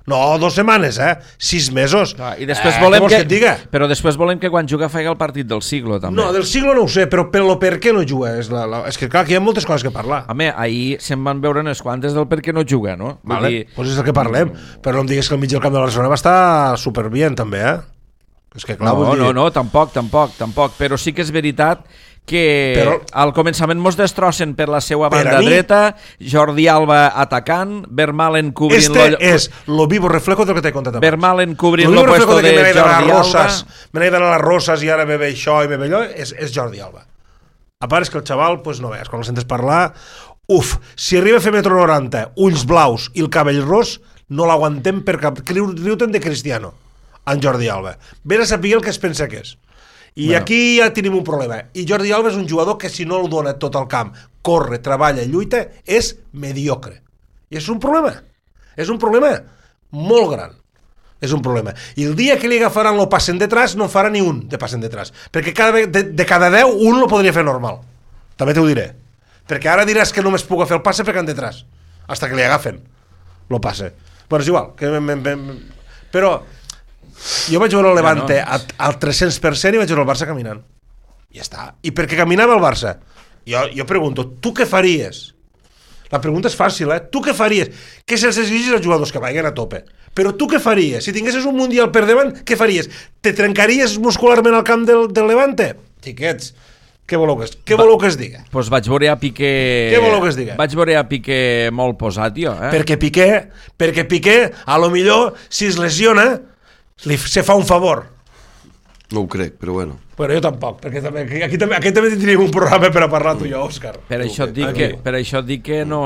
No, 2 setmanes, 6 mesos. I després volem que et diga? Però després volem que quan juga faci el partit del siglo, també. No, del siglo no ho sé, però per què no juga? És que clar, que hi ha moltes coses que parlar. Home, ahir se'n van veure unes quantes del per què no juga, no? Vale, doncs és el que parlem. Però no em digues que el mig del camp de Barcelona va estar superbien, també, És que clar, no, tampoc. Però sí que és veritat que al començament mos destrossen per la seva banda dreta, Jordi Alba atacant, Vermaelen cobrint... és lo vivo reflejo del que t'he contat abans. Vermaelen cobrint lo puesto de Jordi Alba. Me n'he d'anar a les Roses i ara me ve això i me ve allò, és Jordi Alba. A part és que el xaval, pues no veus, quan el sentes parlar, si arriba a fer metro 90, ulls blaus i el cabell ros, no l'aguantem per cap... Riu-te'n de Cristiano, en Jordi Alba. Vés a saber el que es pensa que és. I aquí ja tenim un problema. I Jordi Alba és un jugador que si no el dona tot el camp, corre, treballa, lluita, és mediocre. I és un problema. És un problema molt gran. És un problema. I el dia que li agafaran el passen detrás, no farà ni un de passen detrás. Perquè de cada 10, un lo podria fer normal. També t'ho diré. Perquè ara diràs que només puc fer el passe perquè han detrás. Hasta que li agafen el passe. Bueno, és igual. Però jo vaig veure el Levante al 300% i vaig veure el Barça caminant. Ja està. I per què caminava el Barça? Jo pregunto, tu què faries? La pregunta és fàcil, Tu què faries? Que se'ls exigis als jugadors que vagin a tope. Però tu què faries? Si tinguessis un Mundial per davant, què faries? Te trencaries muscularment al camp del Levante? Xiquets, què voleu que es diga? Pues vaig veure a Piqué... Què voleu que es diga? Vaig veure a Piqué molt posat, jo. Perquè Piqué, a lo millor, si es lesiona, se fa un favor. No ho crec, però bueno. Bueno, jo tampoc, perquè aquí també tindríem un programa per a parlar tu i jo, Òscar. Per això et dic que no...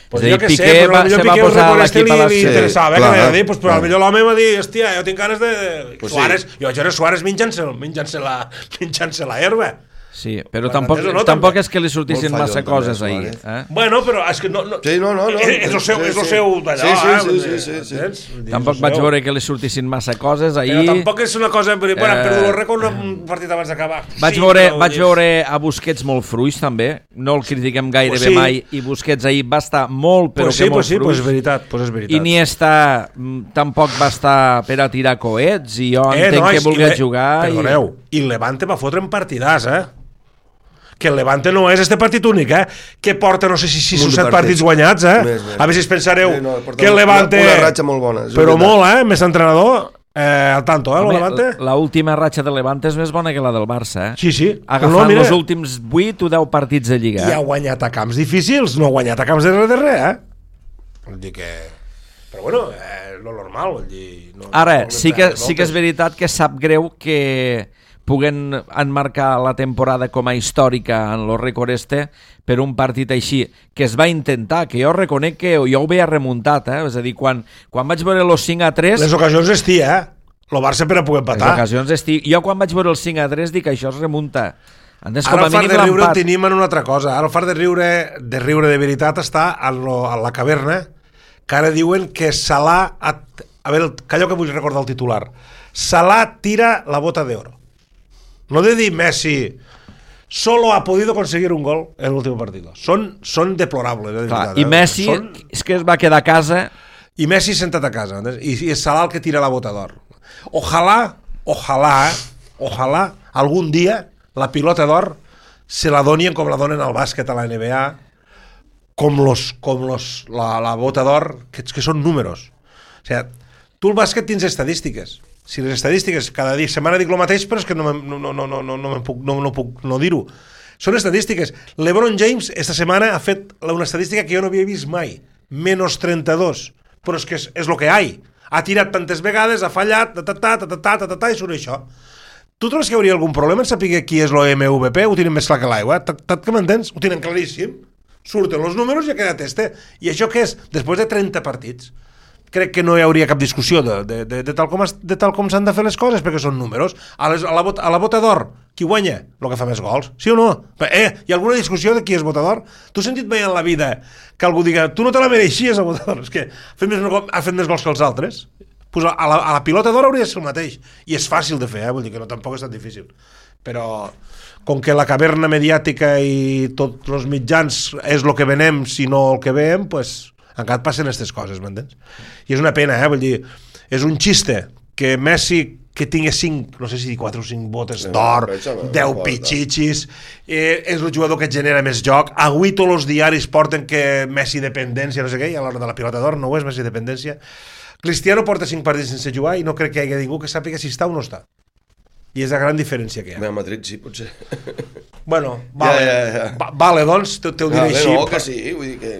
Pues jo què sé, però potser Piqué us reconeixen i li interessava, que m'ha dit, però potser l'home m'ha dit, hòstia, jo tinc ganes de... Suárez, jo vaig veure Suárez menjant-se la herba. Sí, però tampoc és que li sortissin massa coses ahir. Bueno, però és que no... Sí, no. És el seu d'allò, Sí. Tampoc vaig veure que li sortissin massa coses ahir. Però tampoc és una cosa... Bueno, han perdut el rècord un partit abans d'acabar. Vaig veure a Busquets molt fruix, també. No el critiquem gairebé mai. I Busquets ahir va estar molt, però que molt fruix. Pues és veritat. I Iniesta tampoc va estar per a tirar coets. I jo entenc que volgués jugar. Perdoneu, i Levante va fotre en partidàs, que el Levante no és este partit únic, que porta no sé si 6 o 7 partits guanyats, Més. A veure si es pensareu que el Levante... Una ratxa molt bona. Però molt, més entrenador, al tanto, el Levante. L'última ratxa del Levante és més bona que la del Barça, Sí. Agafant els últims 8 o 10 partits de Lliga. I ha guanyat a camps difícils, no ha guanyat a camps de res, Vull dir que... Però bueno, lo normal, vull dir... Ara, sí que és veritat que sap greu que puguen enmarcar la temporada com a històrica en lo rècord per un partit així, que es va intentar, que jo reconec que jo ho veia remuntat, És a dir, quan vaig veure el 5-3... Les ocasions estia, el Barça per a poder empatar. Les ocasions estia. Jo quan vaig veure el 5-3 dic que això es remunta. Ara el fart de riure el tenim en una altra cosa. Ara el fart de riure de veritat està a la caverna, que ara diuen que Salah... A veure, callo que vull recordar el titular. Salah tira la bota de oro. No de dir Messi solo ha podido conseguir un gol en l'últim partit. Són deplorables. I Messi és que es va quedar a casa. I Messi sentat a casa. I és Salah el que tira la bota d'or. Ojalà algun dia la pilota d'or se la donien com la donen al bàsquet a la NBA, la bota d'or, que són números. O sigui, tu el bàsquet tens estadístiques. Si les estadístiques, cada setmana dic el mateix, però és que no puc no dir-ho. Són estadístiques. LeBron James esta setmana ha fet una estadística que jo no havia vist mai. -32. Però és que és el que hi ha. Ha tirat tantes vegades, ha fallat, i surt això. Tu trobes que hi hauria algun problema en saber qui és l'MVP? Ho tenen més clar que l'aigua. Que m'entens? Ho tenen claríssim. Surten els números i ha quedat I això què és? Després de 30 partits. Crec que no hi hauria cap discussió de tal com s'han de fer les coses, perquè són números. A la bota d'or, qui guanya? El que fa més gols, sí o no? Hi ha alguna discussió de qui és bota d'or? Tu has sentit mai en la vida que algú diga tu no te la mereixies a bota d'or? És que ha fet més gols que els altres. Pues a la pilota d'or hauria de ser el mateix. I és fàcil de fer, vull dir que tampoc és tan difícil. Però com que la caverna mediàtica i tots els mitjans és el que venem, si no el que veiem, pues encara passen aquestes coses, m'entens? I és una pena, vull dir, és un xiste que Messi, que tingui 5, no sé si 4 o 5 botes d'or, 10 pitxitxis, és el jugador que genera més joc. Avui tots els diaris porten que Messi dependència, no sé què, i a l'hora de la pilota d'or no ho és Messi dependència. Cristiano porta 5 partits sense jugar i no crec que hi hagi ningú que sàpiga si està o no està. I és la gran diferència que hi ha. A Madrid sí, potser. Bueno, vale, doncs, t'ho diré així. No, que sí, vull dir que...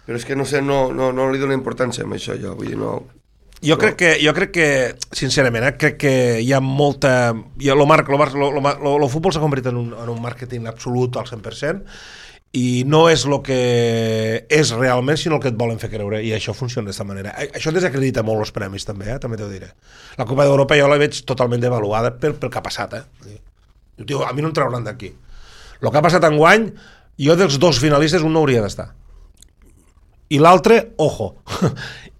Però és que no sé, no li dono importància a això, jo, vull dir, no... Jo crec que, sincerament, crec que hi ha molta... El futbol s'ha convertit en un màrqueting absolut al 100%, i no és el que és realment, sinó el que et volen fer creure, i això funciona d'aquesta manera. Això desacredita molt els premis, també, també t'ho diré. La Copa d'Europa jo la veig totalment devaluada pel que ha passat, Diu, a mi no em trauran d'aquí. El que ha passat enguany, jo dels 2 finalistes un no hauria d'estar. I l'altre, ojo.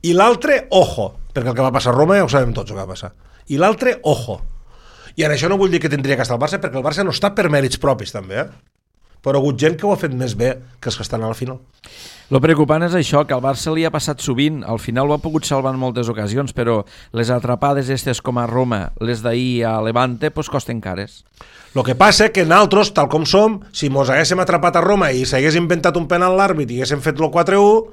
I l'altre, ojo, perquè el que va passar a Roma ja ho sabem tots el que va passar. I l'altre, ojo. I en això no vull dir que tindria que estar el Barça, perquè el Barça no està per mèrits propis també, però ha hagut gent que ho ha fet més bé que els que estan a la final. Lo preocupant és això, que al Barça li ha passat sovint, al final ho ha pogut salvar en moltes ocasions, però les atrapades estes com a Roma, les d'ahir a Levante, pues costen cares. El que passa que nosaltres, tal com som, si mos haguéssim atrapat a Roma i s'hagués inventat un penal l'àrbit i haguéssim fet el 4-1,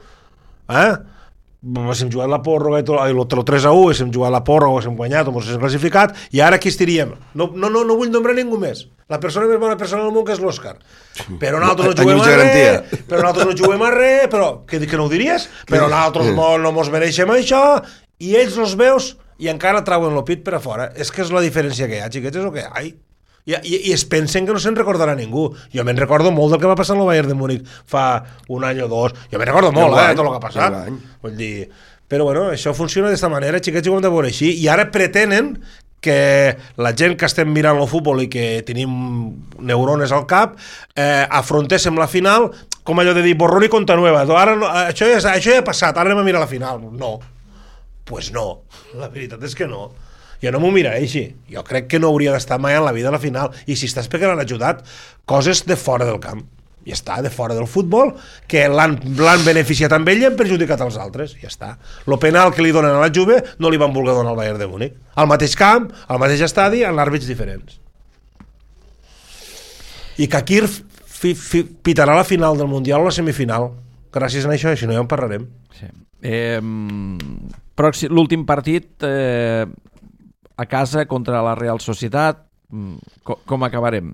haguéssim jugat la pròrroga i el 3-1, haguéssim jugat la pròrroga, haguéssim guanyat o mos haguéssim classificat, i ara aquí estiríem. No vull nombrar ningú més. La persona més bona persona del món que és l'Òscar. Però nosaltres no juguem a res, però que no ho diries? Però nosaltres no mos mereixem això, i ells els veus i encara trauen el pit per a fora. És que és la diferència que hi ha, xiquets, és el que hi ha. I es pensen que no se'n recordarà ningú. Jo me'n recordo molt del que va passar en el Bayern de Múnich fa un any o dos. Jo me'n recordo molt, tot el que ha passat. Vull dir, però bueno, això funciona d'esta manera, xiquets, i ho hem de veure així. I ara pretenen que la gent que estem mirant el futbol i que tenim neurones al cap afrontéssim la final com allò de dir borrón i conta nueva. Ara no, això ja ha passat, ara anem a mirar la final. No, pues no, la veritat és que no. Jo no m'ho miraré així. Jo crec que no hauria d'estar mai en la vida a la final. I si estàs perquè l'han ajudat, coses de fora del camp. I està, de fora del futbol, que l'han beneficiat amb ell i han perjudicat als altres. I està. El penal que li donen a la Juve no li van voler donar al Bayern de Múnich. Al mateix camp, al mateix estadi, en àrbits diferents. I Kakir pitarà la final del Mundial o la semifinal. Gràcies a això, si no ja en parlarem. Sí. L'últim partit a casa contra la Real Societat, com acabarem?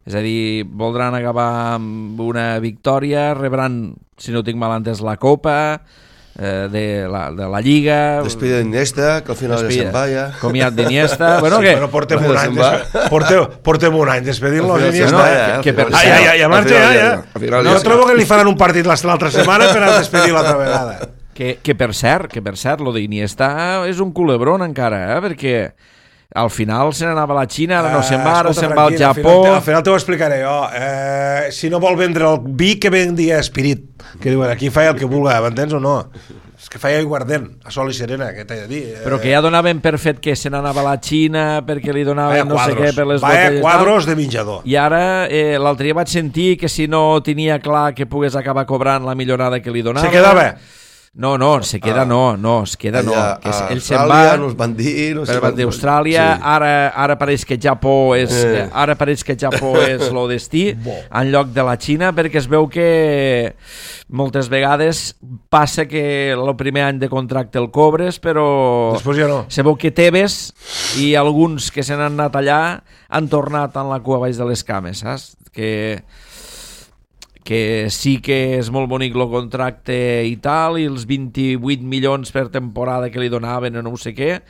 És a dir, voldran acabar amb una victòria, rebran, si no tinc mal entès, la Copa de la Lliga... Despida d'Iniesta, que al final ja se'n va ja. Comiat d'Iniesta... Bueno, què? Però portem un any despedint-lo d'Iniesta. Ja marxa, ja. Jo trobo que li faran un partit l'altra setmana per a despedir l'altra vegada. Que per cert, lo d'Iniesta és un culebron encara, perquè al final se n'anava a la Xina, ara no se'n va, ara se'n va al Japó... Al final t'ho explicaré jo. Si no vol vendre el vi, que vendi Espirit. Que diuen, aquí fa el que vulga, m'entens o no? És que fa aiguardent, a sol i serena, què t'he de dir? Però que ja donaven per fet que se n'anava a la Xina, perquè li donaven no sé què per les botelles... Quadros de menjador. I ara, l'altre dia vaig sentir que si no tenia clar que pogués acabar cobrant la millorada que li donava... Se quedava... No, se queda es queda no. Que ell se'n va, nos van dir, no sé, d'Austràlia, sí. Ara pareix que Japó és el destí en lloc de la Xina, perquè es veu que moltes vegades passa que el primer any de contracte el cobres, però després ja no. Se veu que Tebes i alguns que se n'han anat allà han tornat en la cua baix de les cames, saps? Que sí que és molt bonic el contracte i tal, i els 28 milions per temporada que li donaven o no sé què,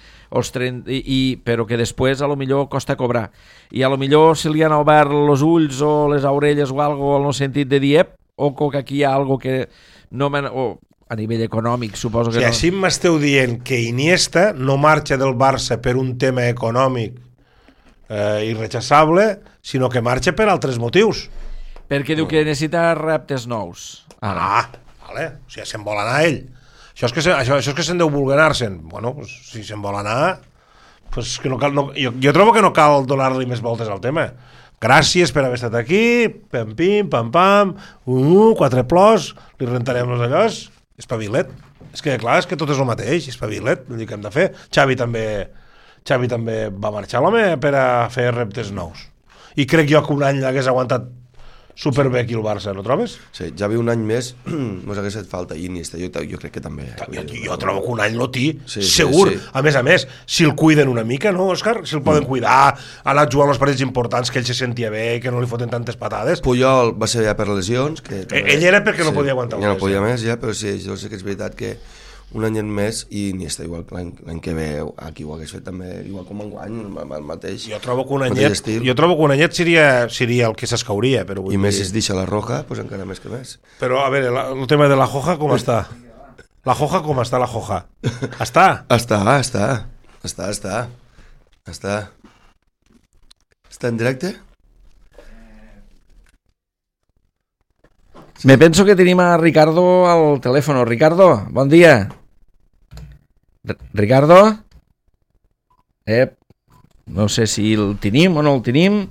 però que després a lo millor costa cobrar. I a lo millor se li han obert els ulls o les orelles o algo en el sentit de dir, ojo que aquí hi ha algo que no a nivell econòmic suposo que no. Si així m'esteu dient que Iniesta no marxa del Barça per un tema econòmic irrechaçable, sinó que marxa per altres motius. Perquè diu que necessita reptes nous. Vale. O sigui, se'n vol anar ell. Això és que se'n deu voler anar-se'n. Bueno, pues, si se'n vol anar, pues que no cal, jo trobo que no cal donar-li més voltes al tema. Gràcies per haver estat aquí, pam-pim, pam-pam, 4 plors, li rentarem els allòs, espavilet. És que clar, és que tot és el mateix, espavilet, vull dir que hem de fer. Xavi també va marxar l'home per a fer reptes nous. I crec jo que un any l'hagués aguantat superbé aquí el Barça, no trobes? Sí, ja ve un any més, mos hagués fet falta Iniesta, jo crec que també. Jo trobo que un any l'Oti, segur. Sí. A més, si el cuiden una mica, no, Òscar? Si el poden cuidar, ha anat jugant els partits importants, que ell se sentia bé, que no li foten tantes patades. Puyol va ser ja per lesions. Ell era perquè no podia aguantar ja no podia més, ja, però sí, jo sé que és veritat que un any més i Iniesta igual que l'any que ve aquí ho hagués fet també igual com enguany, el mateix. Jo trobo que un anyet seria el que s'escauria, però i més es deixa la Roja, doncs encara més que més. Però a veure, el tema de la Joja com està? La Joja com està, la Joja? Està? Està en directe? Me penso que tenim a Ricardo al telèfon. Ricardo, bon dia. Ricardo? No sé si el tenim o no el tenim,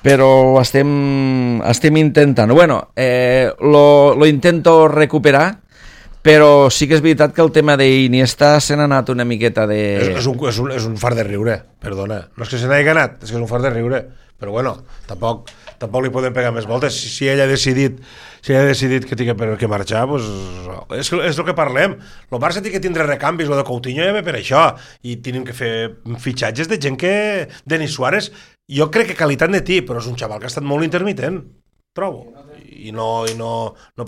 però estem intentant. Bueno, lo intento recuperar, però sí que és veritat que el tema d'Iniesta se n'ha anat una miqueta de... És un fart de riure, perdona. No és que se n'hagi anat, és que és un fart de riure. Però bueno, tampoc li podem pegar més voltes. Si ell ha decidit que té que marxar, doncs és el que parlem. El Barça té que tindre recanvis, el de Coutinho ja ve per això, i tenim que fer fitxatges de gent que... Denis Suárez, jo crec que qualitat de ti, però és un xaval que ha estat molt intermitent, trobo. I no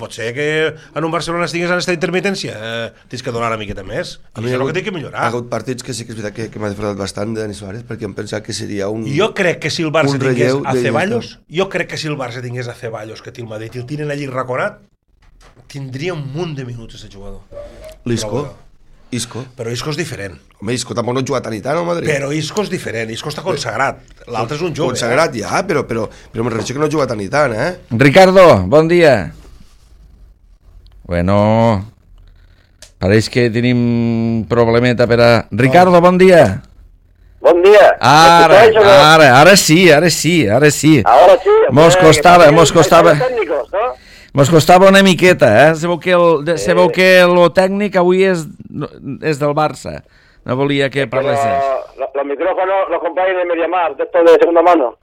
pot ser que en un Barcelona estigués en aquesta intermitència. Tens que donar una miqueta més. I és el que té que millorar. Ha hagut partits que sí que és veritat que m'ha defraudat bastant de Denis Suárez, perquè em pensava que seria un... Jo crec que si el Barça tingués a Ceballos, a Ceballos, que té el Madrid, i el tenen allí raconat, tindria un munt de minuts aquest jugador. Isco. Però Isco és diferent. Home, Isco tampoc no ha jugat tant i tant al Madrid. Però Isco és diferent, Isco està consagrat. L'altre és un jove. Consagrat ja, però me refereixo que no ha jugat tant i tant, Ricardo, bon dia. Bueno, pareix que tenim un problemeta per a... Ricardo, bon dia. Bon dia. Ara sí. Ahora sí. Mos costava una miqueta, Se veu que lo tècnic avui és del Barça. No volia que parlessis. Los micrófonos los compráis en MediaMarkt, de estos de segunda mano,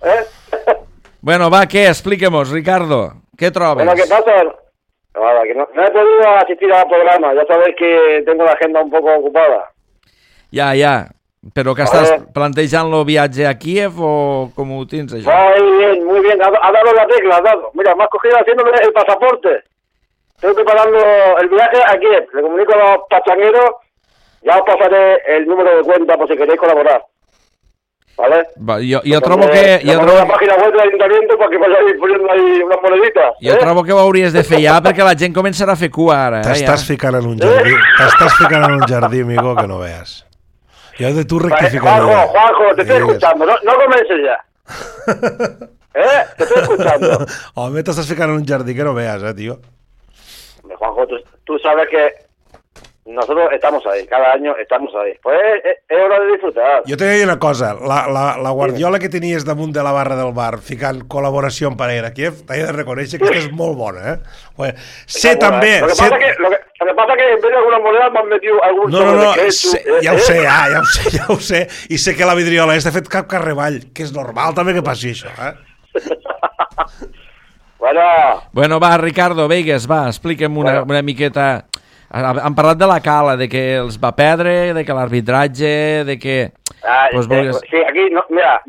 Bueno, va, ¿qué? Explíquemos, Ricardo. ¿Qué trobes? Bueno, ¿qué pasa? Nada, que no he podido asistir al programa. Ya sabéis que tengo la agenda un poco ocupada. Ja. Però que estàs plantejant el viatge a Kiev o com ho tens, això? Muy bien. Ha dado la tecla, ha dado. Mira, me has cogido haciéndome el pasaporte. Estoy preparando el viaje a Kiev. Le comunico a los pachangueros. Ya os pasaré el número de cuenta por si queréis colaborar. ¿Vale? Jo trobo que... la página web del ayuntamiento para que vayáis poniendo ahí unas moneditas. Jo trobo que ho hauries de fer ja perquè la gent començarà a fer cua ara. T'estàs ficant en un jardí, amigo, que no veas. Y de tú rectificar. Juanjo, te estoy escuchando. No comiences ya. Te estoy escuchando. Home, t'estàs ficant en un jardí que no veas, tío. Juanjo, tú sabes que nosotros estamos ahí, cada año estamos ahí. Pues es hora de disfrutar. Jo t'he de dir una cosa, la guardiola que tenies damunt de la barra del bar ficant col·laboració amb Parera Kiev, t'he de reconèixer que és molt bona, Sé també... Lo que pasa que en vez de alguna moneda m'han metido algun... No, ja ho sé, i sé que la vidriola està fet cap carrevall, que és normal també que passi això, Bueno, va, Ricardo, Vegas, va, explica'm una miqueta... Han parlat de la Cala, de que els va perdre, de que l'arbitratge, de que... Sí, aquí, mira,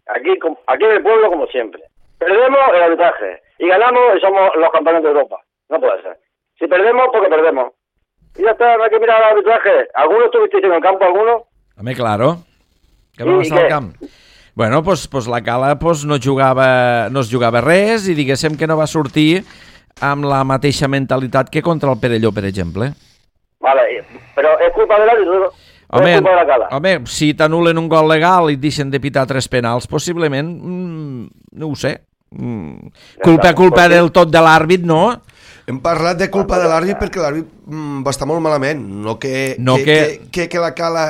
aquí en el pueblo como siempre. Perdemos el arbitraje y ganamos y somos los campeones de Europa. No puede ser. Si perdemos, porque perdemos. Y ya está, no hay que mirar el arbitraje. ¿Alguno estuvisteis en el campo, alguno? Home, claro. Que vam estar al camp. Bueno, pues la Cala no es jugava res i diguéssim que no va sortir amb la mateixa mentalitat que contra el Perelló, per exemple. Vale, però és culpa de l'àrbitre, és culpa de la Cala. Home, si t'anulen un gol legal i et deixen de pitar 3 penals, possiblement, no ho sé. Culpa del tot de l'àrbit, no? Hem parlat de culpa de l'àrbit perquè l'àrbit va estar molt malament, no que la Cala...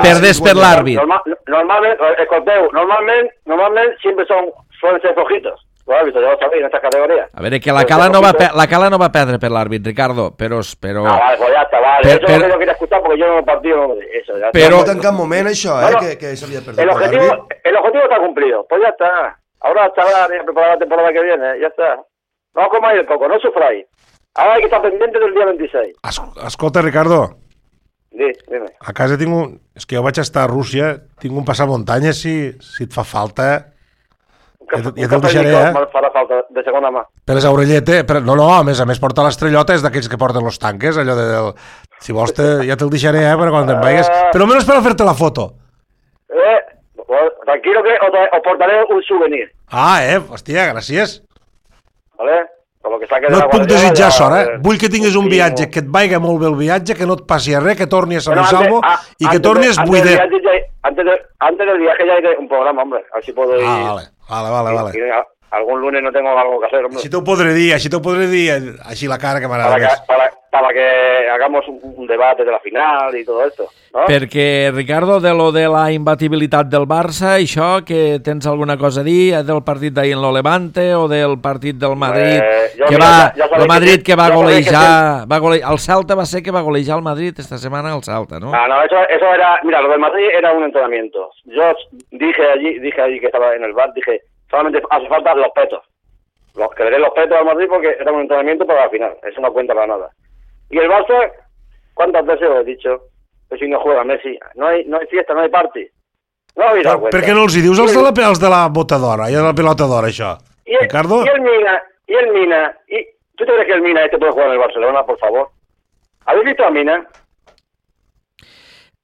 Perdés per l'àrbit. Normalment, escolteu, normalment sempre suelen ser flojitos. Los árbitros, ya lo sabéis, en estas categorías. A veure, que la Cala no va perdre per l'àrbit, Ricardo, però... vale, pues ya está, vale. Eso es lo que no quería escuchar porque yo no he partido. Eso, ya pero no en cap moment això, que s'havia perdut el objetivo está cumplido, pues ya está. Ahora está preparada la temporada que viene, ya está. No comáis el coco, no sufráis. Ahora hay que estar pendiente del día 26. Escolta, Ricardo. Dime. A casa tinc un... És que jo vaig estar a Rússia, tinc un passamuntanyes, si et fa falta... Ja te'l deixaré, farà falta, de segona mà. Per les orelletes... No, a més porta l'estrellota, és d'aquells que porten los tanques, allò de... Si vols, ja te'l deixaré, per quan te'n vagis. Però almenys per a fer-te la foto. Tranquilo que os portaré un souvenir. Hòstia, gràcies. Vale? No et puc desitjar sort, Vull que tinguis un viatge, que et vagi molt bé el viatge, que no et passi res, que torni a Sant Salvo i que tornis buidet. Antes del viaje ya hay un programa, hombre. A ver si puedo ir. Vale. algún lunes no tengo algo que hacer, hombre. Així t'ho podré dir, així la cara que m'agrada més. Para que hagamos un debate de la final y todo esto, ¿no? Perquè, Ricardo, de lo de la imbatibilitat del Barça, això, que tens alguna cosa a dir del partit d'ahir en lo Levante o del partit del Madrid, el Madrid que va golejar, el Celta va ser que va golejar el Madrid esta semana al Celta, ¿no? No, eso era, mira, lo del Madrid era un entrenamiento. Yo dije allí que estaba en el bar, dije, solamente hace falta los petos. Que le den los petos al Madrid porque era un entrenamiento para la final, eso no cuenta para nada. Y el Barça, ¿cuántas veces os he dicho? Que si no juega Messi, no hay fiesta, no hay party. No habéis dado cuenta. Per què no els hi dius els de la bota d'or, i de la pelota d'or, això? Ricardo? Y el Mina, ¿tú te crees que el Mina puede jugar en el Barcelona, por favor? ¿Habéis visto a Mina?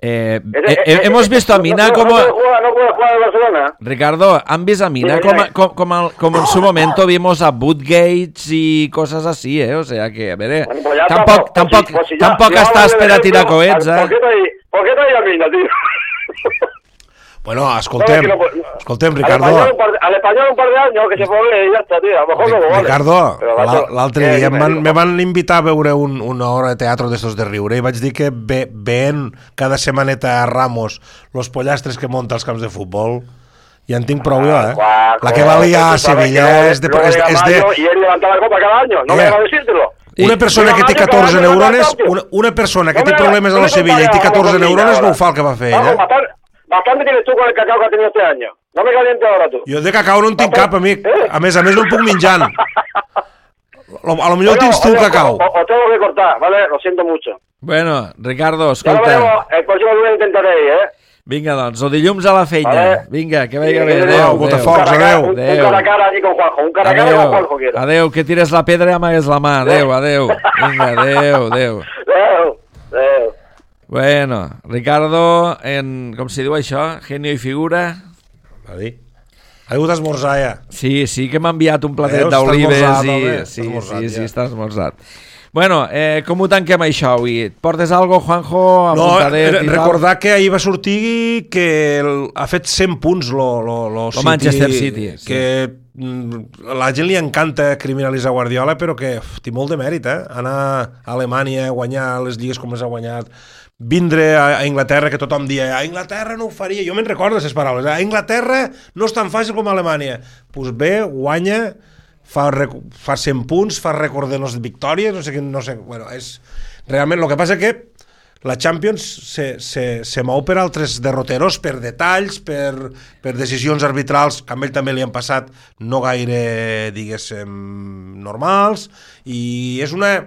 Hemos visto a Mina como... No puede jugar en Barcelona. Ricardo, ¿han visto a Mina como en su momento vimos a Bootgates y cosas así, O sea que, a ver, bueno, pues tampoc estàs per a tirar coets, ¿Por qué trae a Mina, tío? Bueno, escoltem, Ricardo. Al español un par de años que se pone y ya está, tío. A lo mejor luego vale. Ricardo, l'altre dia me van invitar a veure una obra de teatre d'estos de riure i vaig dir que veient cada setmaneta a Ramos los pollastres que monta als camps de futbol, ja en tinc prou jo, La que va liar a Sevilla és de... Y él levantaba la copa cada año, no me va a decírtelo. Una persona que té 14 neurones, una persona que té problemes a la Sevilla i té 14 neurones no ho fa el que va fer ella. Bastante tienes tú con el cacao que has tenido este año. No me calientes ahora tú. Jo de cacao no en tinc cap, amic. A més no el puc menjant. A lo millor tens tu cacao. Os tengo que cortar, ¿vale? Lo siento mucho. Bueno, Ricardo, Ya escolta. el próximo lunes intentaré, Vinga, doncs, o dilluns a la feina. Vale. Vinga, que vagi bé. Adéu, Adéu. Botafocs, adéu. Un cara a cara allí con Juanjo. Un cara a cara con Juanjo quiero. Adéu, que tires la pedra i amagues la mà. Adéu. Vinga, adéu. Adéu. Bueno, Ricardo, com se diu això? Genio i figura. Va dir. Ha hagut esmorzar ja. Sí que m'ha enviat un platet Veus, d'olives està esmorzat, sí, està esmorzat. Bueno, com ho tanquem això avui? Et portes algo, Juanjo? Apuntadet i tal? Recordar que ahir va sortir que ha fet 100 punts lo Manchester City. Que la gent li encanta criminalitzar Guardiola, però que té molt de mèrit, anar a Alemanya, guanyar les lligues com les ha guanyat, vindre a Inglaterra, que tothom dia a Inglaterra no ho faria, jo me'n recordo aquestes paraules, a Inglaterra no és tan fàcil com a Alemanya. Doncs bé, guanya, fa 100 punts, fa rècord de les victòries, no sé, bueno, és... Realment, el que passa que la Champions se mou per altres derroteros, per detalls, per decisions arbitrals que a ell també li han passat no gaire, diguéssim, normals, i és una...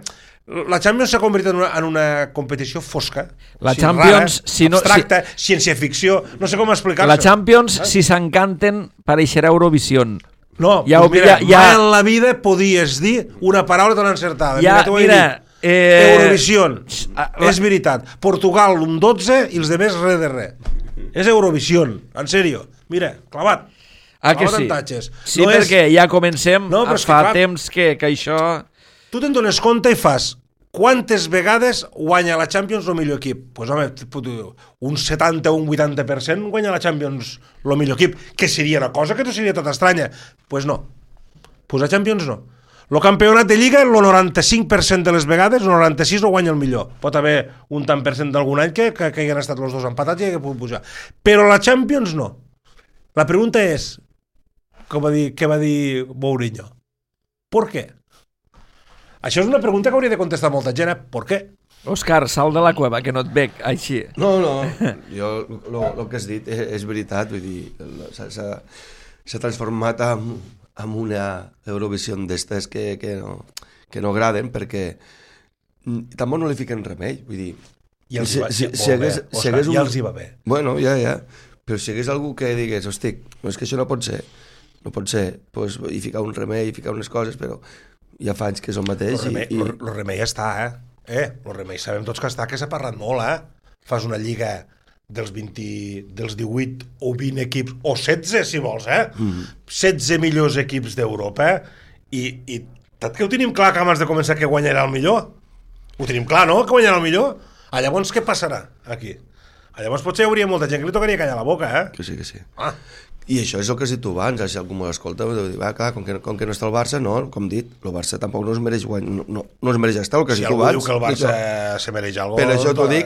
La Champions s'ha convertit en una competició fosca, la Champions, rara, abstracta, ciència-ficció, no sé com explicar-se. La Champions, si s'encanten, pareixerà Eurovision. No, mira, mai en la vida podies dir una paraula tan encertada. Mira, Eurovision, és veritat. Portugal un 12 i els demés res de res. És Eurovision, en sèrio. Mira, clavat. Que sí? Sí, no perquè ja comencem, fa temps que això... Tu te'n dones compte i fas quantes vegades guanya la Champions el millor equip? Doncs home, un 70 o un 80% guanya la Champions el millor equip, que seria una cosa que no seria tot estranya. Doncs no. Doncs la Champions no. El campionat de Lliga, el 95% de les vegades, el 96% no guanya el millor. Pot haver un tant per cent d'algun any que hagin estat els dos empatats i que puguin pujar. Però la Champions no. La pregunta és, què va dir Mourinho? ¿Por qué? Això és una pregunta que hauria de contestar molta gent, Per què? Òscar, sal de la cueva, que no et veig així. No, jo el que has dit és veritat, vull dir, s'ha transformat en una Eurovisió d'estes que no agraden, perquè tampoc no li fiquen remei, vull dir... Ja els hi va bé. Bueno, ja, però si hagués algú que digués, hosti, és que això no pot ser, doncs hi ficar un remei, hi ficar unes coses, però... ja fa anys que és el mateix. El remei està, el remei sabem tots que està, que s'ha parlat molt, Fas una lliga dels 18 o 20 equips, o 16 si vols, 16 millors equips d'Europa, i tot que ho tenim clar que abans de començar que guanyarà el millor. Ho tenim clar, no?, que guanyarà el millor. Llavors què passarà aquí? Llavors potser hi hauria molta gent que li tocaria callar la boca, Que sí. I això és el que has dit tu abans, si algú me l'escolta, clar, com que no està el Barça, no, com dit, el Barça tampoc no es mereix guanyar, no es mereix estar, el que has dit tu abans. Si algú diu que el Barça se mereix alguna cosa... Per això t'ho dic,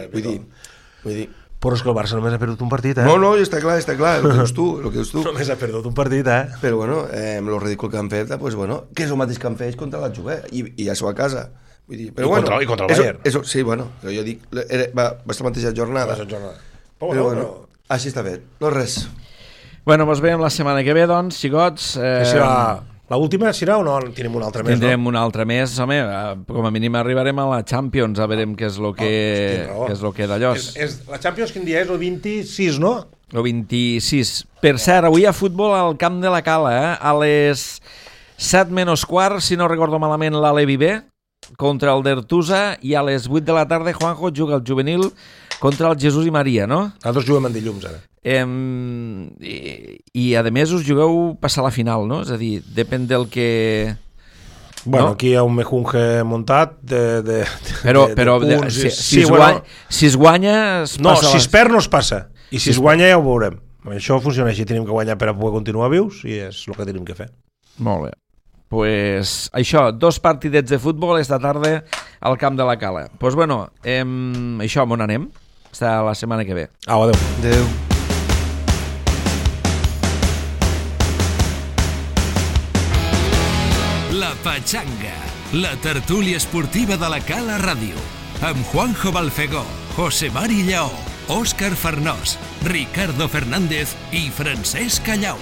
vull dir... Però és que el Barça només ha perdut un partit, No, està clar, el que dius tu. Només ha perdut un partit, Però, bueno, el ridícul que han fet, pues, bueno, que és el mateix que han fet contra la Juve, i ja s'ho a casa. Vull dir, però, I contra el Bayern. Sí, bueno, però jo dic, va ser la mateixa jornada. Però, bueno, així està fet, no res. Bueno, ens veiem la setmana que ve, doncs, xicots. L'última serà o no? Tindrem una altra més, Tindrem una altra més, home, com a mínim arribarem a la Champions, a veure què és el que d'allò. La Champions quin dia és? El 26, no? El 26. Per cert, avui hi ha futbol al Camp de la Cala, a les 7 menys quart, si no recordo malament, l'Alevi B, contra el d'Ertusa, i a les 8 de la tarda Juanjo juga el juvenil contra el Jesús i Maria, no? Nosaltres juguem en dilluns, ara. I a més us jugueu passar la final, no? És a dir, depèn del que... Bueno, aquí hi ha un mejunge muntat de punts. Si es guanya... Si es perd no es passa, i si es guanya ja ho veurem. Això funciona així, tenim que guanyar per a poder continuar vius i és el que tenim que fer. Molt bé. Pues això, 2 partidets de futbol esta tarda al Camp de la Cala. Pues bueno, això, on anem? Està la setmana que ve. Adéu. Adéu. La Pachanga, la tertúlia esportiva de la Cala Ràdio, amb Juanjo Balfegó, José Mari Lleó, Òscar Farnós, Ricardo Fernández i Francesc Callau.